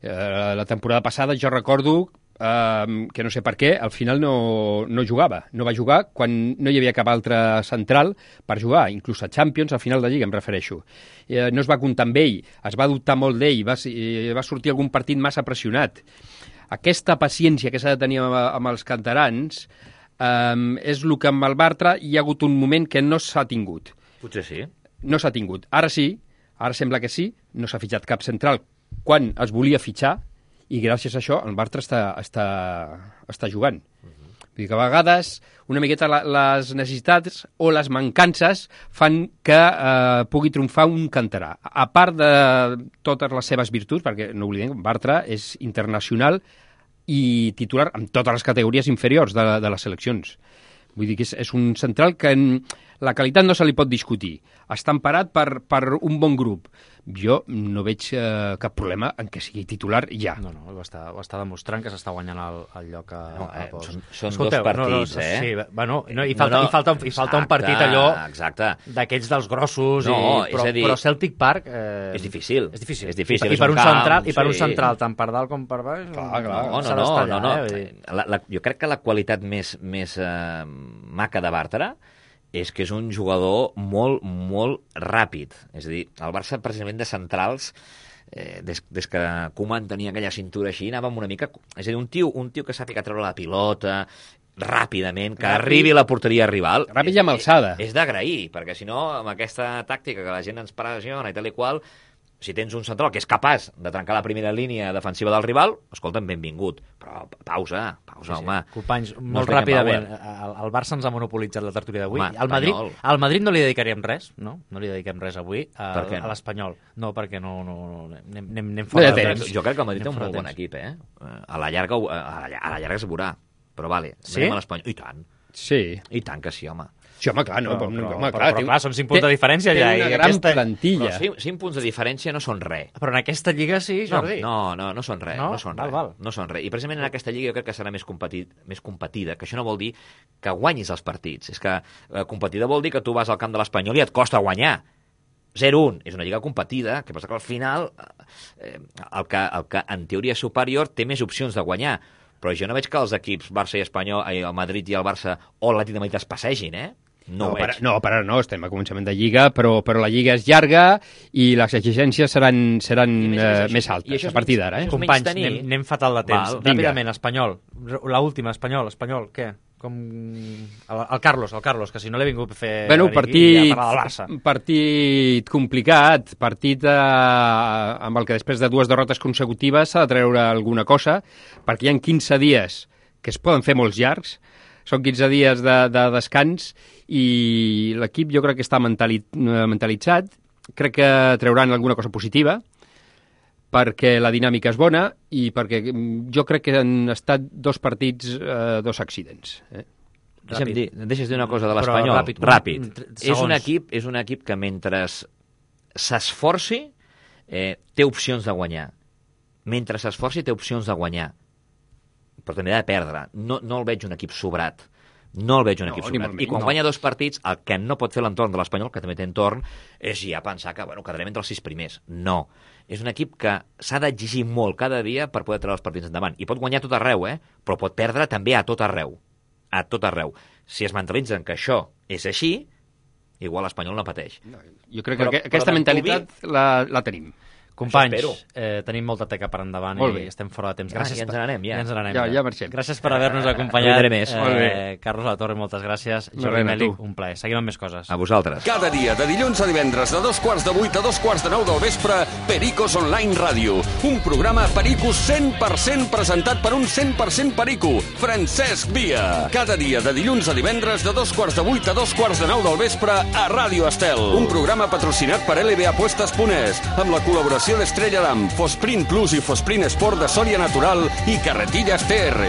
la temporada passada, jo recordo que no sé per què, al final no jugava. No va jugar quan no hi havia cap altre central per jugar, inclús a Champions, al final de Lliga, em refereixo. No es va comptar amb ell, es va dubtar molt d'ell, va sortir algun partit massa pressionat. Aquesta paciència que s'ha de tenir amb els canterans és el que amb el Bartra hi ha hagut un moment que no s'ha tingut. Potser sí. No s'ha tingut. Ara sí, ara sembla que sí, no s'ha fitxat cap central quan es volia fitxar, i gràcies a això el Bartra està jugant. Vull dir que a vegades una miqueta les necessitats o les mancances fan que pugui triomfar un canterà. A part de totes les seves virtuts, perquè no oblidem, Bartra és internacional i titular en totes les categories inferiors de les seleccions. Vull dir que és un central que la qualitat no se li pot discutir. Està emparat per un bon grup. Jo no veig cap problema en que sigui titular ja. No, ho està demostrant que s'està guanyant el lloc a pols. Són dos partits, Sí, i falta un partit allò d'aquells dels grossos, però Celtic Park... És difícil. I per un central tant per dalt com per baix... No. Jo crec que la qualitat més maca de Bartra és que és un jugador molt, molt ràpid. És a dir, el Barça, precisament de centrals, des que Koeman tenia aquella cintura així, anàvem una mica... És a dir, un tio que sàpiga treure la pilota ràpidament, que arribi a la porteria rival... Ràpid i amb alçada. És d'agrair, perquè si no, amb aquesta tàctica que la gent ens pressiona i tal i qual, Si tens un central que és capaç de trencar la primera línia defensiva del rival, escolta'm, benvingut. Però pausa, home. Companys, molt ràpidament, el Barça ens ha monopolitzat la tertúlia d'avui. Al Madrid no li dedicaríem res, no? No li dediquem res avui a l'Espanyol. No, perquè no anem fora de temps. Jo crec que el Madrid té un molt bon equip, eh? A la llarga es veurà. Però vale, anem a l'Espanyol. I tant. Sí. I tant que sí, home. Sí, home, clar, no? Però clar, són 5 punts de diferència ja. Té una gran plantilla. Però 5 punts de diferència no són res. Però en aquesta lliga sí, Jordi. No són res. No són res. I precisament en aquesta lliga jo crec que serà més competida, que això no vol dir que guanyis els partits. És que competida vol dir que tu vas al camp de l'Espanyol i et costa guanyar. 0-1. És una lliga competida, que passa que al final el que en teoria és superior té més opcions de guanyar. Però jo no veig que els equips Barça i Espanyol, el Madrid i el Barça o l'Atlètic de Madrid es passegin, eh? No, estem a començament de Lliga, però la Lliga és llarga i les exigències seran més altes a partir d'ara. Companys, anem fatal de temps. Ràpidament, Espanyol. L'última, Espanyol, què? Com el Carlos, que si no l'he vingut a fer partit complicat, partit amb el que després de 2 derrotes consecutives s'ha de treure alguna cosa, perquè hi ha 15 dies que es poden fer molts llargs, són 15 dies de descans i l'equip jo crec que està mentalitzat, crec que trauran alguna cosa positiva, perquè la dinàmica és bona i perquè jo crec que han estat 2 partits, 2 accidents. Deixes dir una cosa de l'Espanyol. Ràpid. És un equip que mentre s'esforci té opcions de guanyar. Mentre s'esforci té opcions de guanyar. Però també ha de perdre. No el veig un equip sobrat. I quan guanya 2 partits, el que no pot fer l'entorn de l'Espanyol, que també té entorn, és ja pensar que quedarem entre els 6 primers. No. És un equip que s'ha d'exigir molt cada dia per poder treure els partits endavant. I pot guanyar a tot arreu, però pot perdre també a tot arreu. A tot arreu. Si es mentalitzen que això és així, igual l'Espanyol no pateix. Jo crec que aquesta mentalitat la tenim. Companys, tenim molta teca per endavant i estem fora de temps. Gràcies. Ja ens n'anem. Ja marxem. Gràcies per haver-nos acompanyat. Carlos Latorre, moltes gràcies. Jordi Mèlic, un plaer. Seguim amb més coses. A vosaltres. Cada dia, de dilluns a divendres, de 7:15 a 9:15 del vespre, Pericos Online Ràdio. Un programa Pericos 100% presentat per un 100% perico, Francesc Via. Cada dia, de dilluns a divendres, de 7:15 a 9:15 del vespre, a Ràdio Estel. Un programa patrocinat per LBApuestas.es, amb la col·laboració d'Estrella d'Am, Fosprint Plus i Fosprint Sport de Sòria Natural i Carretillas TR.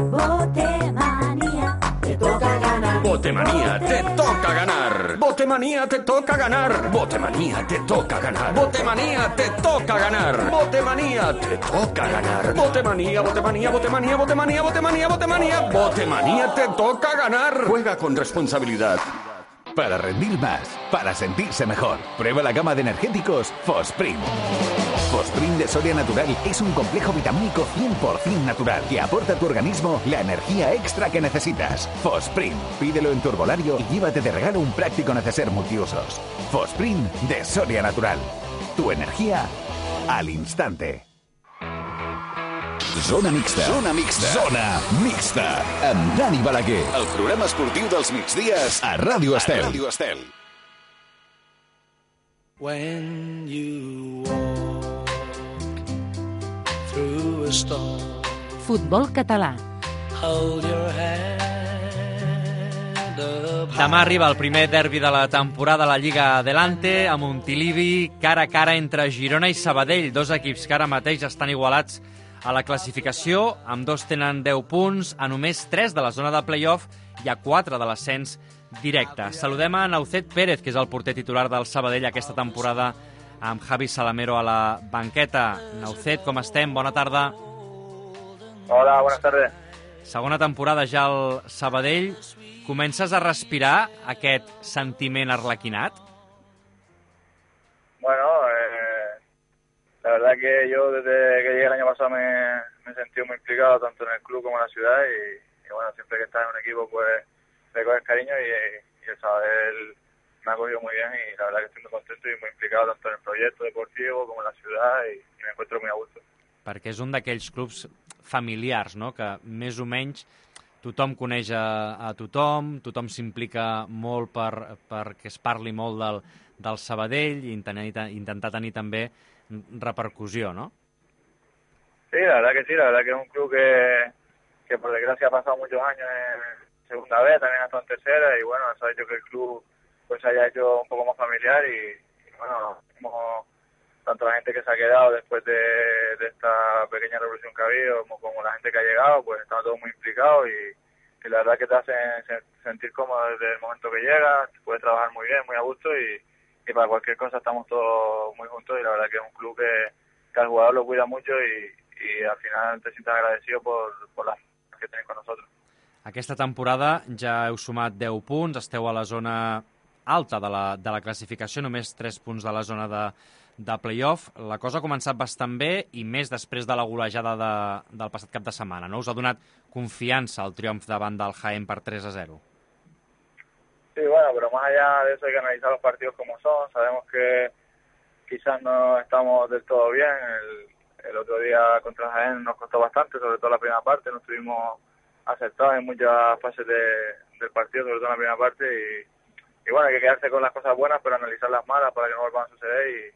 Botemanía, te toca ganar. Botemanía, te toca ganar. Botemanía, te toca ganar. Botemanía, te toca ganar. Botemanía, te toca ganar. Botemanía, te toca ganar. Botemanía, botemanía, botemanía, botemanía, botemanía, botemanía. Botemanía, te toca ganar. Juega con responsabilidad. Para rendir más, para sentirse mejor, prueba la gama de energéticos Fosprint. Fosprint de Soria Natural es un complejo vitamínico 100% natural que aporta a tu organismo la energía extra que necesitas. Fosprint, pídelo en tu herbolario y llévate de regalo un práctico neceser multiusos. Fosprint de Soria Natural. Tu energía al instante. Zona mixta. Zona mixta. Zona mixta. Amb Dani Balaguer. El programa esportiu dels migdies a Ràdio Estel. Ràdio Estel. When you walk through a storm. Futbol català. Hold your head up. Demà arriba el primer derbi de la temporada a la Lliga Adelante, a Montilivi, cara a cara entre Girona i Sabadell, 2 equips que ara mateix estan igualats a la classificació, amb 2 tenen 10 punts, a només 3 de la zona de play-off i a 4 de l'ascens directe. Saludem a Naucet Pérez, que és el porter titular del Sabadell aquesta temporada, amb Javi Salamero a la banqueta. Naucet, com estem? Bona tarda. Hola, buenas tardes. Segona temporada ja al Sabadell. Comences a respirar aquest sentiment arlequinat? Bueno, la verdad que yo desde que llegué el año pasado me he sentido muy implicado tanto en el club como en la ciudad y bueno, siempre que estás en un equipo pues le coges cariño y el Sabadell me ha cogido muy bien y la verdad que estoy muy contento y muy implicado tanto en el proyecto deportivo como en la ciudad y me encuentro muy a gusto. Perquè és un d'aquells clubs familiars, no?, que més o menys tothom coneix a tothom s'implica molt perquè es parli molt del Sabadell i intentar tenir també repercussió, ¿no? Sí, la verdad que sí, la verdad que es un club que por desgracia ha pasado muchos años en segunda B, también ha estado en tercera y bueno, eso ha hecho que el club pues se haya hecho un poco más familiar y bueno, como tanto la gente que se ha quedado después de esta pequeña revolución que ha habido como la gente que ha llegado, pues estamos todos muy implicados y la verdad que te hacen sentir cómodo desde el momento que llegas, puedes trabajar muy bien, muy a gusto y para cualquier cosa estamos todos muy juntos y la verdad que es un club que al jugador lo cuida mucho y al final te sientes agradecido por las que tenéis con nosotros. Aquesta temporada ja heu sumat 10 punts, esteu a la zona alta de la classificació, només 3 punts de la zona de play-off. La cosa ha començat bastant bé i més després de la golejada del passat cap de setmana, no? Us ha donat confiança el triomf davant del Jaén per 3-0. Sí, bueno, pero más allá de eso hay que analizar los partidos como son. Sabemos que quizás no estamos del todo bien. El otro día contra Jaén nos costó bastante, sobre todo la primera parte. No estuvimos acertados en muchas fases del partido, sobre todo en la primera parte. Y bueno, hay que quedarse con las cosas buenas, pero analizar las malas para que no vuelvan a suceder.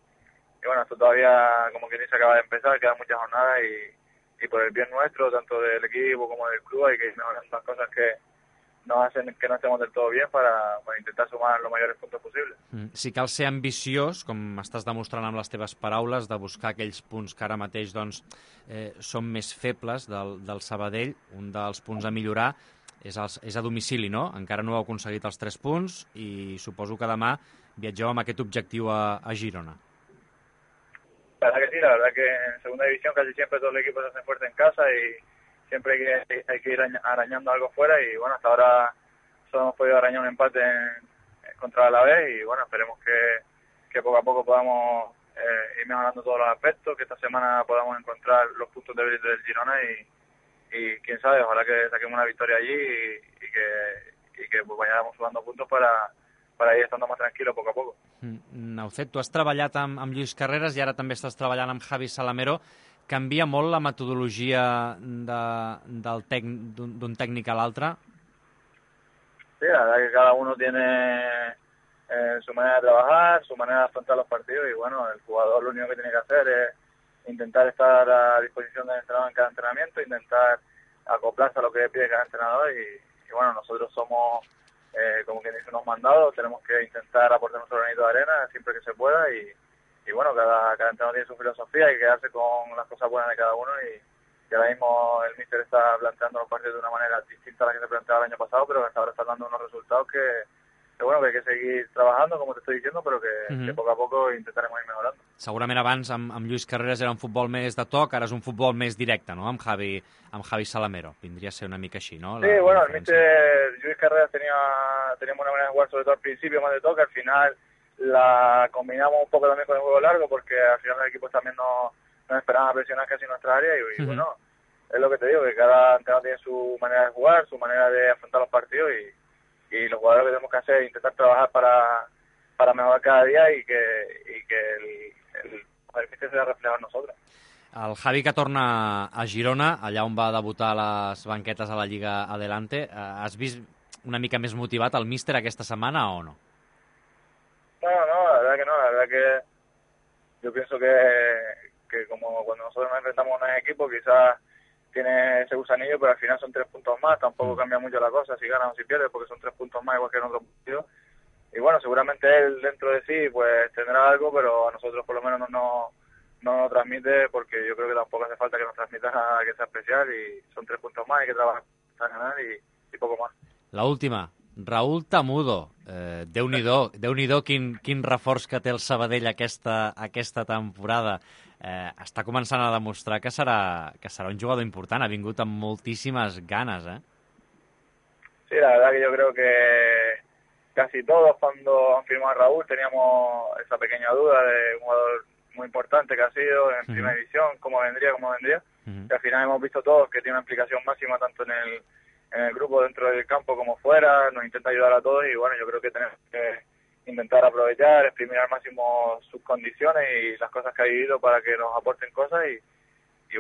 Y bueno, esto todavía, como quien dice, acaba de empezar, quedan muchas jornadas y por el bien nuestro, tanto del equipo como del club, hay que ir mejorando las cosas que nos hacen que no estemos del todo bien para intentar sumar los mayores puntos posibles. Si cal ser ambiciós, com estàs demostrant amb les teves paraules, de buscar aquells punts que ara mateix doncs, són més febles del Sabadell, un dels punts a millorar és a domicili, no? Encara no heu aconseguit els 3 punts i suposo que demà viatgeu amb aquest objectiu a Girona. La verdad que sí, la verdad que en segunda división casi siempre todo el equipo se hace fuerte en casa y siempre hay que ir arañando algo fuera y bueno, hasta ahora solo hemos podido arañar un empate contra la Alavés y bueno, esperemos que poco a poco podamos ir mejorando todos los aspectos, que esta semana podamos encontrar los puntos débiles del Girona y quién sabe, ojalá que saquemos una victoria allí y que pues vayamos sumando puntos para ir estando más tranquilos poco a poco. Naucet, tu has treballat amb Lluís Carreras i ara també estàs treballant amb Javi Salamero. Canvia molt la metodologia d'un tècnic a l'altre? Sí, la verdad que cada uno tiene su manera de trabajar, su manera de afrontar los partidos y bueno, el jugador lo único que tiene que hacer es intentar estar a disposición del entrenador en cada entrenamiento, intentar acoplarse a lo que pide cada entrenador y bueno, nosotros somos como quien dice unos mandados, tenemos que intentar aportar nuestro granito de arena siempre que se pueda y bueno, cada entrenador tiene su filosofía, hay que quedarse con las cosas buenas de cada uno y ahora mismo el míster está planteando los partidos de una manera distinta a la que se planteaba el año pasado, pero hasta ahora está dando unos resultados que bueno, que hay que seguir trabajando, como te estoy diciendo, pero que poco a poco intentaremos ir mejorando. Segurament abans amb Lluís Carreras era un futbol més de toc, ara és un futbol més directe, no?, amb Javi Salamero. Vindria a ser una mica així, no? Sí, bueno, el míster Lluís Carreras teníamos una manera de jugar, sobre todo al principio, más de toque, al final la combinamos un poco también con el juego largo, porque al final los equipos también nos esperaban a presionar casi en nuestra área y bueno, es lo que te digo, que cada entrenador tiene su manera de jugar, su manera de afrontar los partidos y los jugadores que tenemos que hacer es intentar trabajar para mejorar cada día y que el míster se refleja en nosotros. El Javi, que torna a Girona, allà on va debutar a les banquetes a la Lliga Adelante, has vist una mica més motivat el míster aquesta setmana o no? No, la verdad que no, la verdad que yo pienso que como cuando nosotros nos enfrentamos a un equipo quizás tiene ese gusanillo, pero al final son 3 puntos más, tampoco cambia mucho la cosa si ganas o si pierdes, porque son 3 puntos más igual que en otro partido. Y bueno, seguramente él dentro de sí pues tendrá algo, pero a nosotros por lo menos no nos transmite, porque yo creo que tampoco hace falta que nos transmita nada que sea especial y son 3 puntos más, hay que trabajar para ganar y poco más. La última, Raúl Tamudo, Déu-n'hi-do quin reforç que té el Sabadell aquesta temporada. Està començant a demostrar que serà un jugador important, ha vingut amb moltíssimes ganes, ¿eh? Sí, la verdad que yo creo que casi todos cuando han firmado a Raúl teníamos esa pequeña duda de un jugador muy importante que ha sido en primera división, cómo vendría, que al final hemos visto todos que tiene una implicación máxima tanto en el grupo dentro del campo como fuera, nos intenta ayudar a todos y bueno, yo creo que tenemos que intentar aprovechar, exprimir al máximo sus condiciones y las cosas que ha vivido para que nos aporten cosas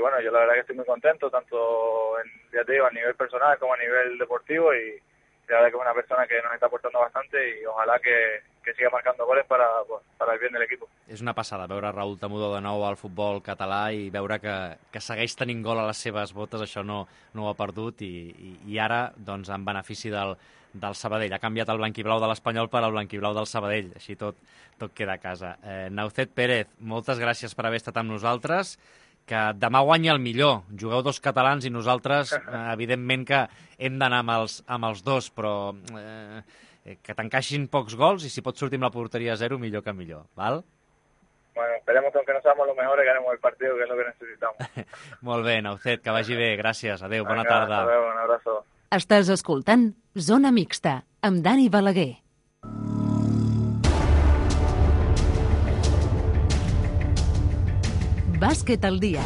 bueno, yo la verdad que estoy muy contento, tanto ya te digo, a nivel personal como a nivel deportivo, y la verdad que es una persona que nos está aportando bastante y ojalà que siga marcando goles para el bien del equipo. És una passada veure Raúl Tamudo de nou al futbol català i veure que segueix tenint gol a les seves botes, això no ho ha perdut i ara, doncs, en benefici del Sabadell. Ha canviat el blanquiblau de l'Espanyol per al blanquiblau del Sabadell, així tot queda a casa. Naucet Pérez, moltes gràcies per haver estat amb nosaltres, que demà guanyi el millor. Jugueu dos catalans i nosaltres, evidentment que hem d'anar amb els dos, però que t'encaixin pocs gols i si pots sortir amb la porteria a 0, millor que millor, val? Bueno, esperemos que aunque no seamos los mejores, ganemos el partido, que es lo que necesitamos. Molt bé, Naucet, que vagi bé, gràcies. Adéu, bona tarda. Adéu, un abrazo. Estàs escoltant Zona Mixta, amb Dani Balaguer. Bàsquet al dia.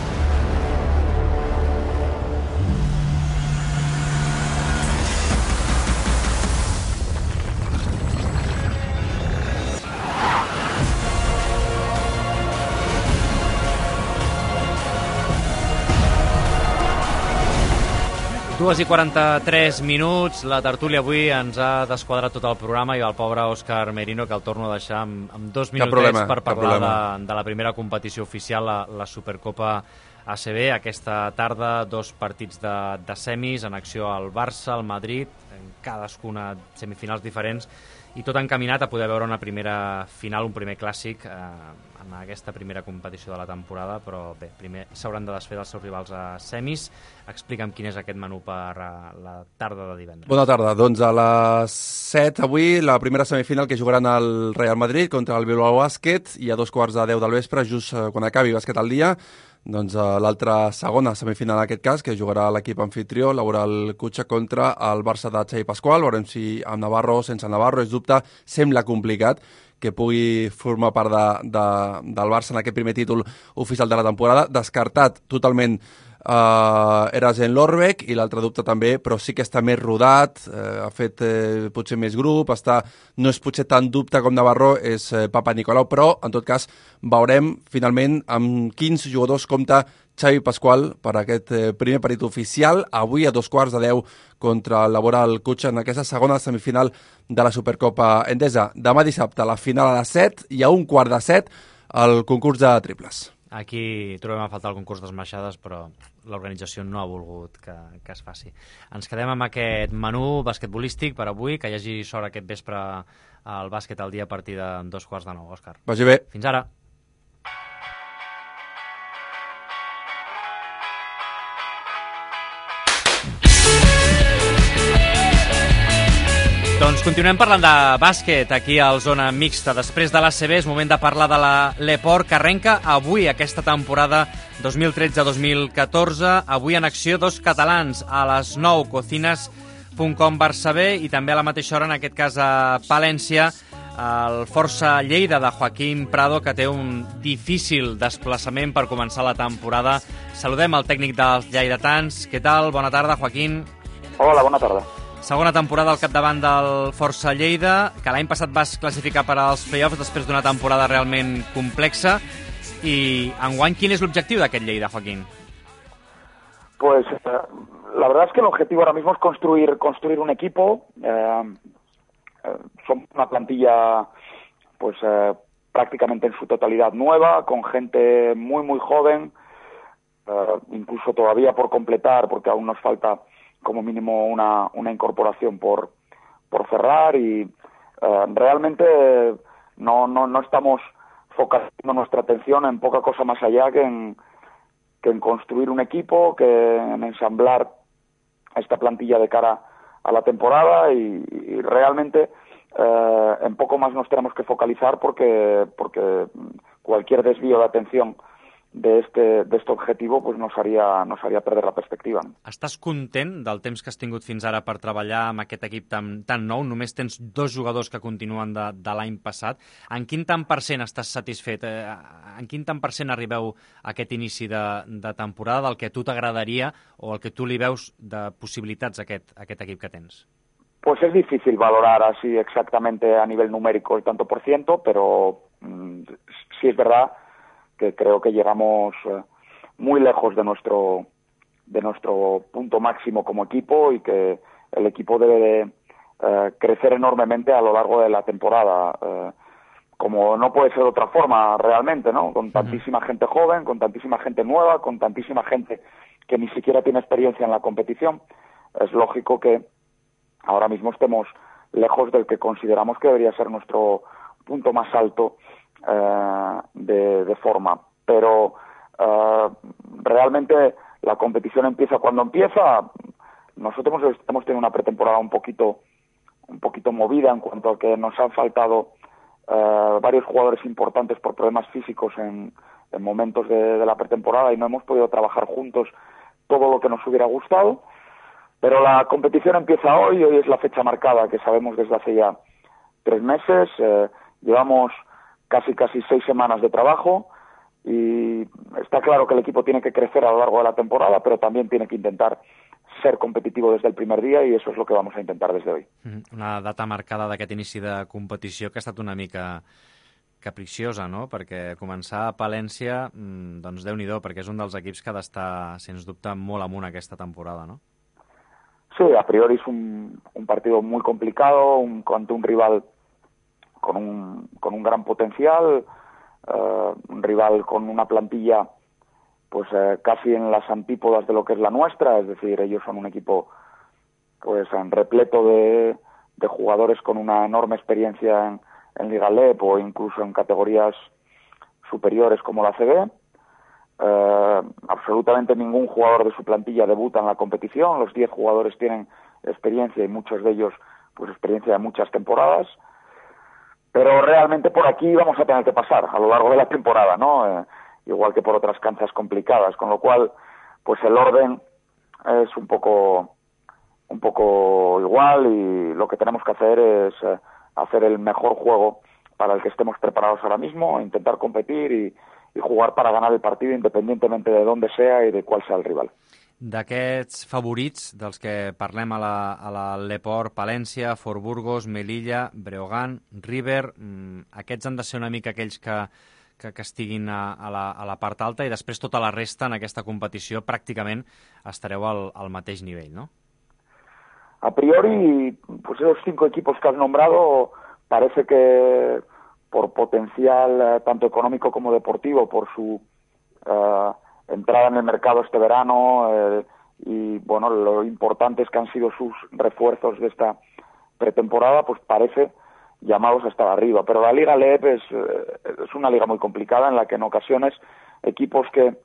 Dues i 43 minuts, la tertúlia avui ens ha desquadrat tot el programa i el pobre Òscar Merino, que el torno a deixar amb 2 minutets per parlar de la primera competició oficial, la Supercopa ACB. Aquesta tarda, 2 partits de semis en acció al Barça, al Madrid, en cadascuna semifinals diferents, i tot encaminat a poder veure una primera final, un primer clàssic en aquesta primera competició de la temporada, però bé, primer s'hauran de desfer dels seus rivals a semis. Explica'm quin és aquest menú per la tarda de divendres. Bona tarda. Doncs a les 7 avui, la primera semifinal que jugaran el Real Madrid contra el Bilbao Bàsquet, i a 2:15 del vespre, just quan acabi Bàsquet al dia, doncs l'altra segona semifinal en aquest cas, que jugarà l'equip anfitrió, Laboral Cutxa, contra el Barça de Xavi Pasqual. Veurem si amb Navarro o sense Navarro, és dubte, sembla complicat que pugui formar part del Barça en aquest primer títol oficial de la temporada. Descartat totalment Erasen Lorbeck, i l'altre dubte també, però sí que està més rodat, ha fet potser més grup, no és potser tan dubte com Navarro, és Papa Nicolau, però en tot cas veurem finalment amb quins jugadors compta Xavi Pasqual per aquest primer partit oficial, avui a 2:15 contra el Laboral Cutxa en aquesta segona semifinal de la Supercopa Endesa. Demà dissabte la final a les 7 i a 1:15 el concurs de triples. Aquí trobem a faltar el concurs d'esmaixades, però l'organització no ha volgut que es faci. Ens quedem amb aquest menú basquetbolístic per avui, que hi hagi sort aquest vespre al bàsquet al dia a partir de 8:45, Òscar. Vagi bé. Fins ara. Doncs continuem parlant de bàsquet aquí al Zona Mixta. Després de l'ACB és moment de parlar de l'Eport, que arrenca avui aquesta temporada 2013-2014. Avui en acció 2 catalans a les 9, Cocinas.com Barça B, i també a la mateixa hora, en aquest cas a Palència, el Força Lleida de Joaquim Prado, que té un difícil desplaçament per començar la temporada. Saludem el tècnic dels lleidatans. Què tal? Bona tarda, Joaquín. Hola, bona tarda. Segona temporada al capdavant del Força Lleida, que l'any passat vas classificar per als play-offs després d'una temporada realment complexa. I enguany, ¿quin es el objetivo de aquel Lleida, Joaquín? Pues la verdad es que el objetivo ahora mismo es construir un equipo. Somos una plantilla pues prácticamente en su totalidad nueva, con gente muy muy joven, incluso todavía por completar, porque aún nos falta como mínimo una incorporación por cerrar, y realmente no estamos focalizando nuestra atención en poca cosa más allá que en construir un equipo, que en ensamblar esta plantilla de cara a la temporada, y realmente en poco más nos tenemos que focalizar porque cualquier desvío de atención de este objetivo pues nos haría perder la perspectiva. Estàs content del temps que has tingut fins ara per treballar amb aquest equip tan nou? Només tens 2 jugadors que continuen de l'any passat. En quin tant per cent estàs satisfet? En quin tant per cent arribeu a aquest inici de temporada del que a tu t'agradaria o el que tu li veus de possibilitats a aquest equip que tens? Pues es difícil valorar así exactamente a nivel numérico el tanto por ciento, pero sí es verdad que creo que llegamos muy lejos de nuestro punto máximo como equipo y que el equipo debe de crecer enormemente a lo largo de la temporada, como no puede ser de otra forma realmente, ¿no? Con tantísima gente joven, con tantísima gente nueva, con tantísima gente que ni siquiera tiene experiencia en la competición, es lógico que ahora mismo estemos lejos del que consideramos que debería ser nuestro punto más alto de forma. Pero realmente la competición empieza cuando empieza. Nosotros hemos tenido una pretemporada un poquito movida en cuanto a que nos han faltado varios jugadores importantes por problemas físicos en momentos de la pretemporada y no hemos podido trabajar juntos todo lo que nos hubiera gustado, pero la competición empieza hoy es la fecha marcada que sabemos desde hace ya 3 meses, llevamos casi 6 semanas de trabajo y está claro que el equipo tiene que crecer a lo largo de la temporada, pero también tiene que intentar ser competitivo des del primer dia i això és el que vamos a intentar des d'avui. Una data marcada d'aquest inici de competició que ha estat una mica capriciosa, no? Perquè començar a Palència, doncs Déu-n'hi-do, perquè és un dels equips que ha d'estar, sens dubte, molt amunt aquesta temporada, no? Sí, a priori es un partido muy complicado, ante un rival con un gran potencial, un rival con una plantilla pues casi en las antípodas de lo que es la nuestra, es decir, ellos son un equipo pues repleto de jugadores con una enorme experiencia en Liga LEP o incluso en categorías superiores como la CB. Absolutamente ningún jugador de su plantilla debuta en la competición, los 10 jugadores tienen experiencia y muchos de ellos pues experiencia de muchas temporadas, pero realmente por aquí vamos a tener que pasar a lo largo de la temporada, ¿no? Igual que por otras canchas complicadas, con lo cual pues el orden es un poco igual y lo que tenemos que hacer es hacer el mejor juego para el que estemos preparados ahora mismo, intentar competir y jugar para ganar el partido independientemente de dónde sea y de cuál sea el rival. D'aquests favorits dels que parlem a la Leport, Palència, Fort Burgos, Melilla, Breogán, River, aquests han de ser una mica aquells que estiguin a la part alta i després tota la resta en aquesta competició pràcticament estareu al mateix nivell, ¿no? A priori, pues esos 5 equipos que has nombrado parece que por potencial tanto económico como deportivo, por su entrada en el mercado este verano y bueno, lo importantes que han sido sus refuerzos de esta pretemporada, pues parece llamados a estar arriba, pero la Liga LEP es una liga muy complicada en la que en ocasiones equipos que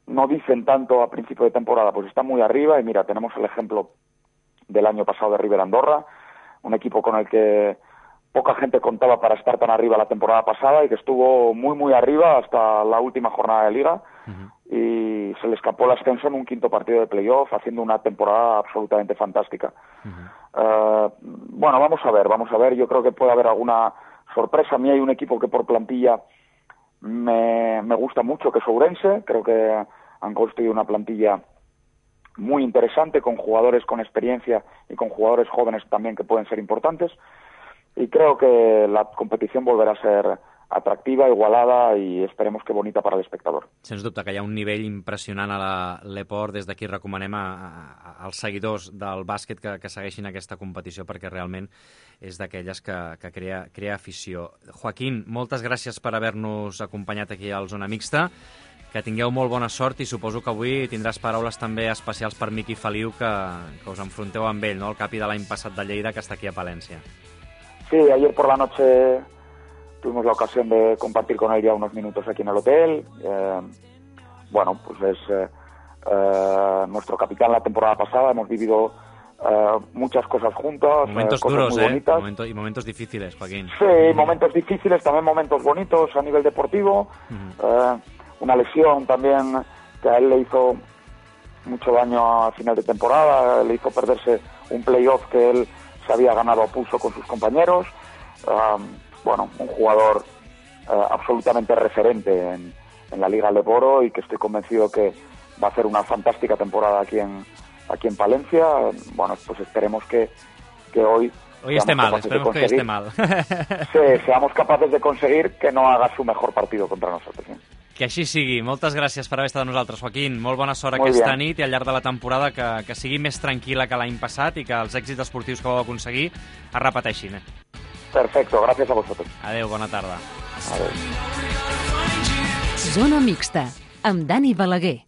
no dicen tanto a principio de temporada pues están muy arriba y mira, tenemos el ejemplo del año pasado de River Andorra, un equipo con el que poca gente contaba para estar tan arriba la temporada pasada y que estuvo muy arriba hasta la última jornada de liga y se le escapó el ascenso en un 5º partido de playoff haciendo una temporada absolutamente fantástica. Bueno, vamos a ver, yo creo que puede haber alguna sorpresa. A mí hay un equipo que por plantilla me gusta mucho, que es Ourense, creo que han construido una plantilla muy interesante con jugadores con experiencia y con jugadores jóvenes también que pueden ser importantes y creo que la competición volverá a ser atractiva, igualada i esperemos que bonita per a l'espectador. Sens dubte que hi ha un nivell impressionant a la Leport. Des d'aquí recomanem als seguidors del bàsquet que segueixin aquesta competició perquè realment és d'aquelles que crea afició. Joaquín, moltes gràcies per haver-nos acompanyat aquí al Zona Mixta. Que tingueu molt bona sort i suposo que avui tindràs paraules també especials per Miqui Feliu que us enfronteu amb ell, no? El capi de l'any passat de Lleida que està aquí a Palència. Sí, ayer por la noche tuvimos la ocasión de compartir con él ya unos minutos aquí en el hotel. Bueno, pues es nuestro capitán la temporada pasada. Hemos vivido muchas cosas juntos. Momentos cosas duros, muy bonitas. y momentos difíciles, Joaquín. Sí, momentos difíciles, también momentos bonitos a nivel deportivo. Una lesión también que a él le hizo mucho daño a final de temporada. Le hizo perderse un playoff que él se había ganado a pulso con sus compañeros. Bueno, un jugador absolutamente referente en la Liga Leporo y que estoy convencido que va a hacer una fantástica temporada aquí en Palencia. Bueno, pues esperemos que hoy esté mal, esperemos que hoy esté mal. Sí, seamos capaces de conseguir que no haga su mejor partido contra nosotros, ¿sí? Que així sigui. Moltes gràcies per haver estat amb nosaltres, Joaquín. Molt bona sort Muy aquesta bien. nit i al llarg de la temporada que sigui més tranquil·la que l'any passat i que els èxits esportius que vau aconseguir es repeteixin. Perfecto, gracias a vosotros. Adéu, bona tarda. Adéu. Zona mixta, amb Dani Balaguer.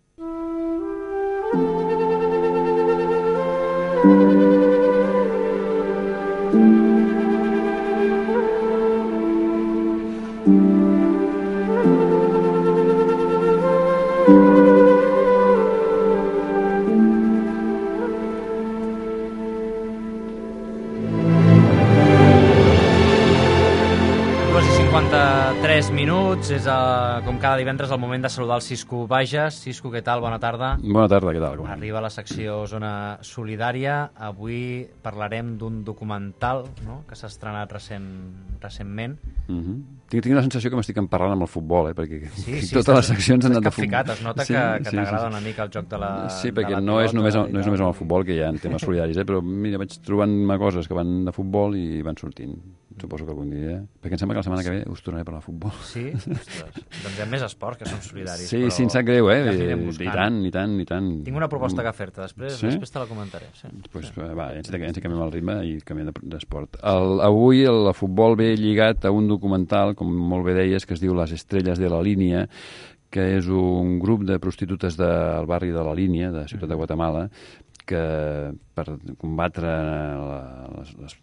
Quasi 53 minuts, és com cada divendres el moment de saludar el Cisco Bages. Cisco, què tal? Bona tarda. Bona tarda, què tal? Arriba la secció Zona Solidària. Avui parlarem d'un documental, no?, que s'ha estrenat recentment. Tinc la sensació que m'estic parlant amb el futbol, perquè Sí, totes les seccions han anat de futbol. capficat, es nota que t'agrada una mica el joc de la Sí, perquè de la no és només pilota amb el futbol que hi ha temes solidaris, però mira, vaig trobant-me coses que van de futbol i van sortint. Suposo que algun dia... Perquè em sembla que la setmana que ve us tornaré a parlar de futbol. Sí? Ostres. Doncs hi ha més esports que són solidaris. Sí, però sí, em sap greu, ja els anirem buscant. I tant. Tinc una proposta que fer-te, després te la comentaré. Sí. Pues, va, ens canviem el ritme i canviem d'esport. Avui el futbol ve lligat a un documental, com molt bé deies, que es diu Les estrelles de la línia, que és un grup de prostitutes del barri de la Línia, de Ciutat de Guatemala, que per combatre les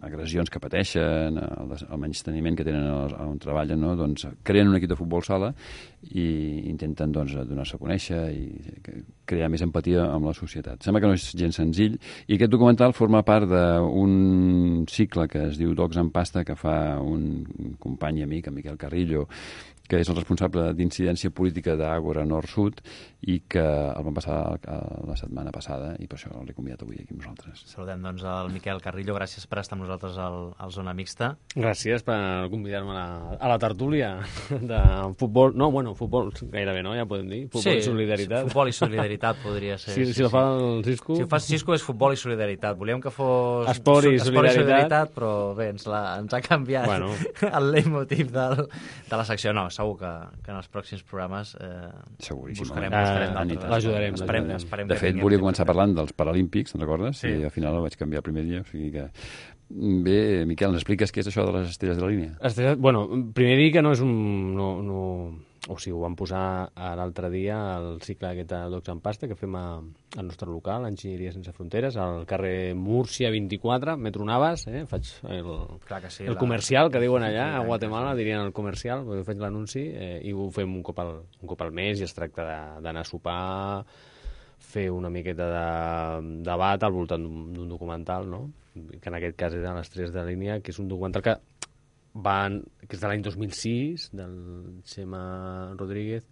agressions que pateixen, el menysteniment que tenen on treballen, no? Doncs creen un equip de futbol sala i intenten donar-se a conèixer i crear més empatia amb la societat. Sembla que no és gens senzill i aquest documental forma part d'un cicle que es diu Docs en Pasta, que fa un company i amic, en Miquel Carrillo, que és el responsable d'incidència política d'Àgora Nord-Sud i que el van passar la setmana passada i per això l'he convidat avui aquí amb nosaltres. Saludem doncs el Miquel Carrillo, gràcies per estar amb nosaltres al Zona Mixta. Gràcies per convidar-me a la tertúlia de futbol, futbol gairebé, no? Ja podem dir, futbol i solidaritat. Futbol i solidaritat podria ser. Si el fa el Cisco... Si ho fa el Cisco és futbol i solidaritat. Volíem que fos esport i solidaritat, però bé, ens ha canviat el leitmotiv de la secció. No, segur que en els pròxims programes buscarem l'ajudarem. De fet, volia començar parlant dels Paralímpics, te'n recordes? Sí. I al final el vaig canviar el primer dia, o sigui que... Bé, Miquel, ens expliques què és això de les estrelles de la línia? Bueno, primer dir que no és un... O sigui, ho vam posar l'altre dia al cicle aquest de Docs en Pasta que fem al nostre local, Enginyeria Sense Fronteres, al carrer Múrcia 24, Metro Navas, faig el comercial que diuen allà, a Guatemala dirien el comercial, faig l'anunci i ho fem un cop al mes i es tracta d'anar a sopar, fer una miqueta de debat al voltant d'un documental, no? Que en aquest cas era Les estrelles de la línia, que és un documental que és de l'any 2006, del Xema Rodríguez,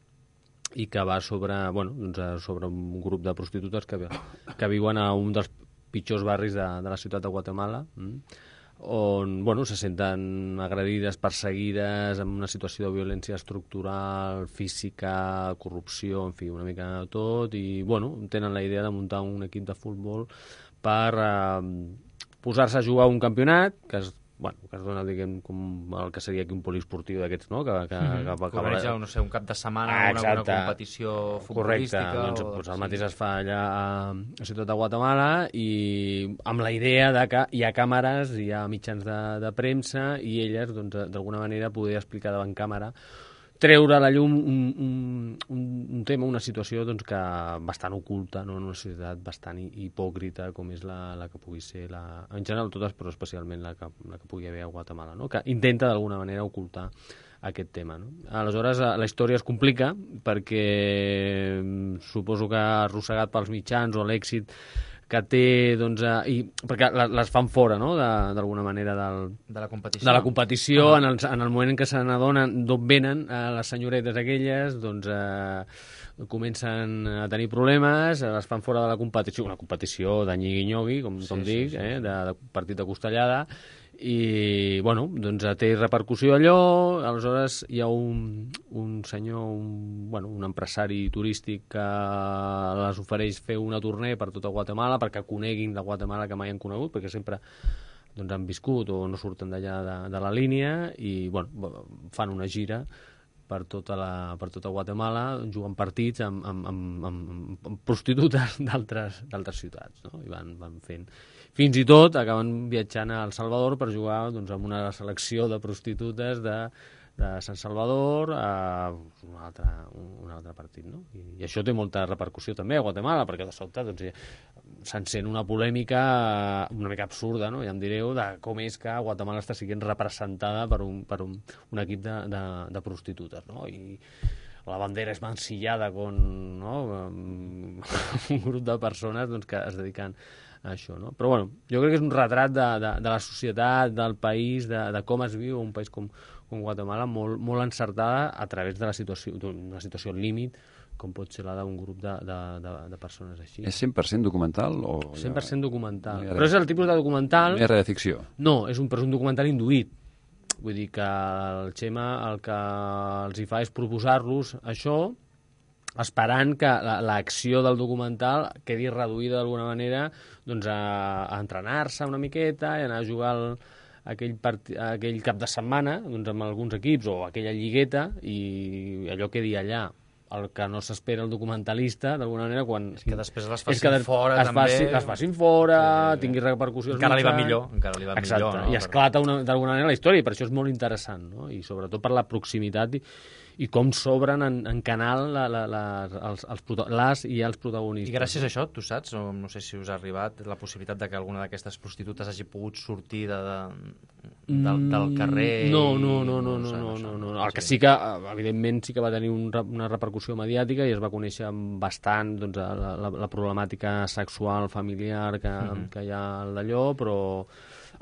i que va sobre un grup de prostitutes que viuen a un dels pitjors barris de la ciutat de Guatemala, on se senten agredides, perseguides, en una situació de violència estructural, física, corrupció, en fi, una mica de tot, i tenen la idea de muntar un equip de futbol per posar-se a jugar un campionat que es dona, diguem, com el que seria aquí un poliesportiu d'aquests, no? Que cobreix, un cap de setmana una competició futbolística. Correcte, doncs el mateix es fa allà a Ciutat de Guatemala i amb la idea de que hi ha càmeres, hi ha mitjans de premsa i elles, d'alguna manera, poder explicar davant càmera, treure a la llum un tema, una situació que bastant oculta, no? En una societat bastant hipòcrita com és la que pugui ser, en general totes, però especialment la que pugui haver a Guatemala, no? Que intenta d'alguna manera ocultar aquest tema, no? Aleshores, la història es complica perquè suposo que arrossegat pels mitjans o l'èxit que té, perquè les fan fora, no?, d'alguna manera de la competició, en el moment en què se n'adonen d'on venen les senyoretes aquelles, comencen a tenir problemes, les fan fora de la competició, una competició de nyigui-nyogui, com dic, de partit de costellada, i té repercussió allò. Aleshores hi ha un senyor, un empresari turístic que les ofereix fer una tournée per tota Guatemala perquè coneguin la Guatemala que mai han conegut, perquè sempre han viscut o no surten d'allà de la línia, i fan una gira per tota Guatemala, jugant partits amb prostitutes d'altres ciutats, no? I van fent... Fins i tot acaben viatjant a El Salvador per jugar doncs, amb una selecció de prostitutes de Sant Salvador a un altre partit, no? I això té molta repercussió també a Guatemala, perquè de sobte doncs, s'encén una polèmica una mica absurda, no? Ja em direu, de com és que Guatemala està sent representada per un equip de prostitutes, no? I la bandera és mancillada con, no? un grup de persones doncs, que es dediquen a això, no? Però bueno, jo crec que és un retrat de la societat, del país, de com es viu un país com Guatemala, molt encertada a través de d'una situació límit, com pot ser la d'un grup de persones així. És 100% documental? 100% documental. Però és el tipus de documental... No hi ha res de ficció? No, és un documental induït. Vull dir que el Xema el que els hi fa és proposar-los això, esperant que l'acció del documental quedi reduïda d'alguna manera doncs, a entrenar-se una miqueta i anar a jugar aquell cap de setmana doncs, amb alguns equips o aquella lligueta i allò quedi allà. El que no s'espera el documentalista, d'alguna manera, quan... És que després les facin fora, també. Les facin fora, tingui repercussions... Encara li va millor. Exacte, no? I esclata d'alguna manera la història, i per això és molt interessant, no? I sobretot per la proximitat i com s'obren en canal les i els protagonistes. I gràcies a això, tu saps, o no sé si us ha arribat, la possibilitat de que alguna d'aquestes prostitutes hagi pogut sortir del carrer... No. El que sí que, evidentment, sí que va tenir una repercussió mediàtica i es va conèixer bastant doncs, la problemàtica sexual familiar que hi ha al d'allò, però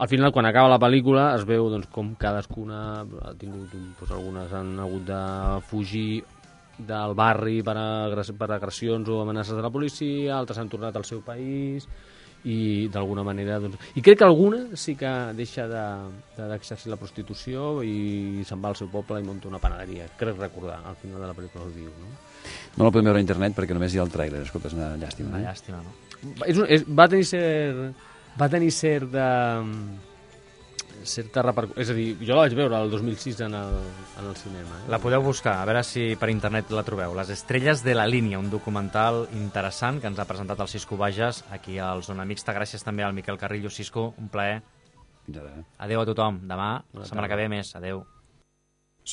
al final, quan acaba la pel·lícula, es veu doncs, com cadascuna ha tingut... Doncs, algunes han hagut de fugir del barri per agressions o amenaces de la policia, altres han tornat al seu país i d'alguna manera... Doncs... I crec que alguna sí que deixa d'exercir la prostitució i se'n va al seu poble i munta una panaderia. Crec recordar, al final de la pel·lícula ho diu, no? No la podem veure a internet perquè només hi ha el tràiler. Escolta, és una llàstima. Una llàstima, no? Va tenir certa repercussió. És a dir, jo la vaig veure el 2006 en el cinema. La podeu buscar, a veure si per internet la trobeu. Les estrelles de la línia, un documental interessant que ens ha presentat el Cisco Bages aquí al Zona Mixta. Gràcies també al Miquel Carrillo. Cisco, un plaer. Fins ara. Adéu a tothom. Demà, setmana que ve més. Adéu.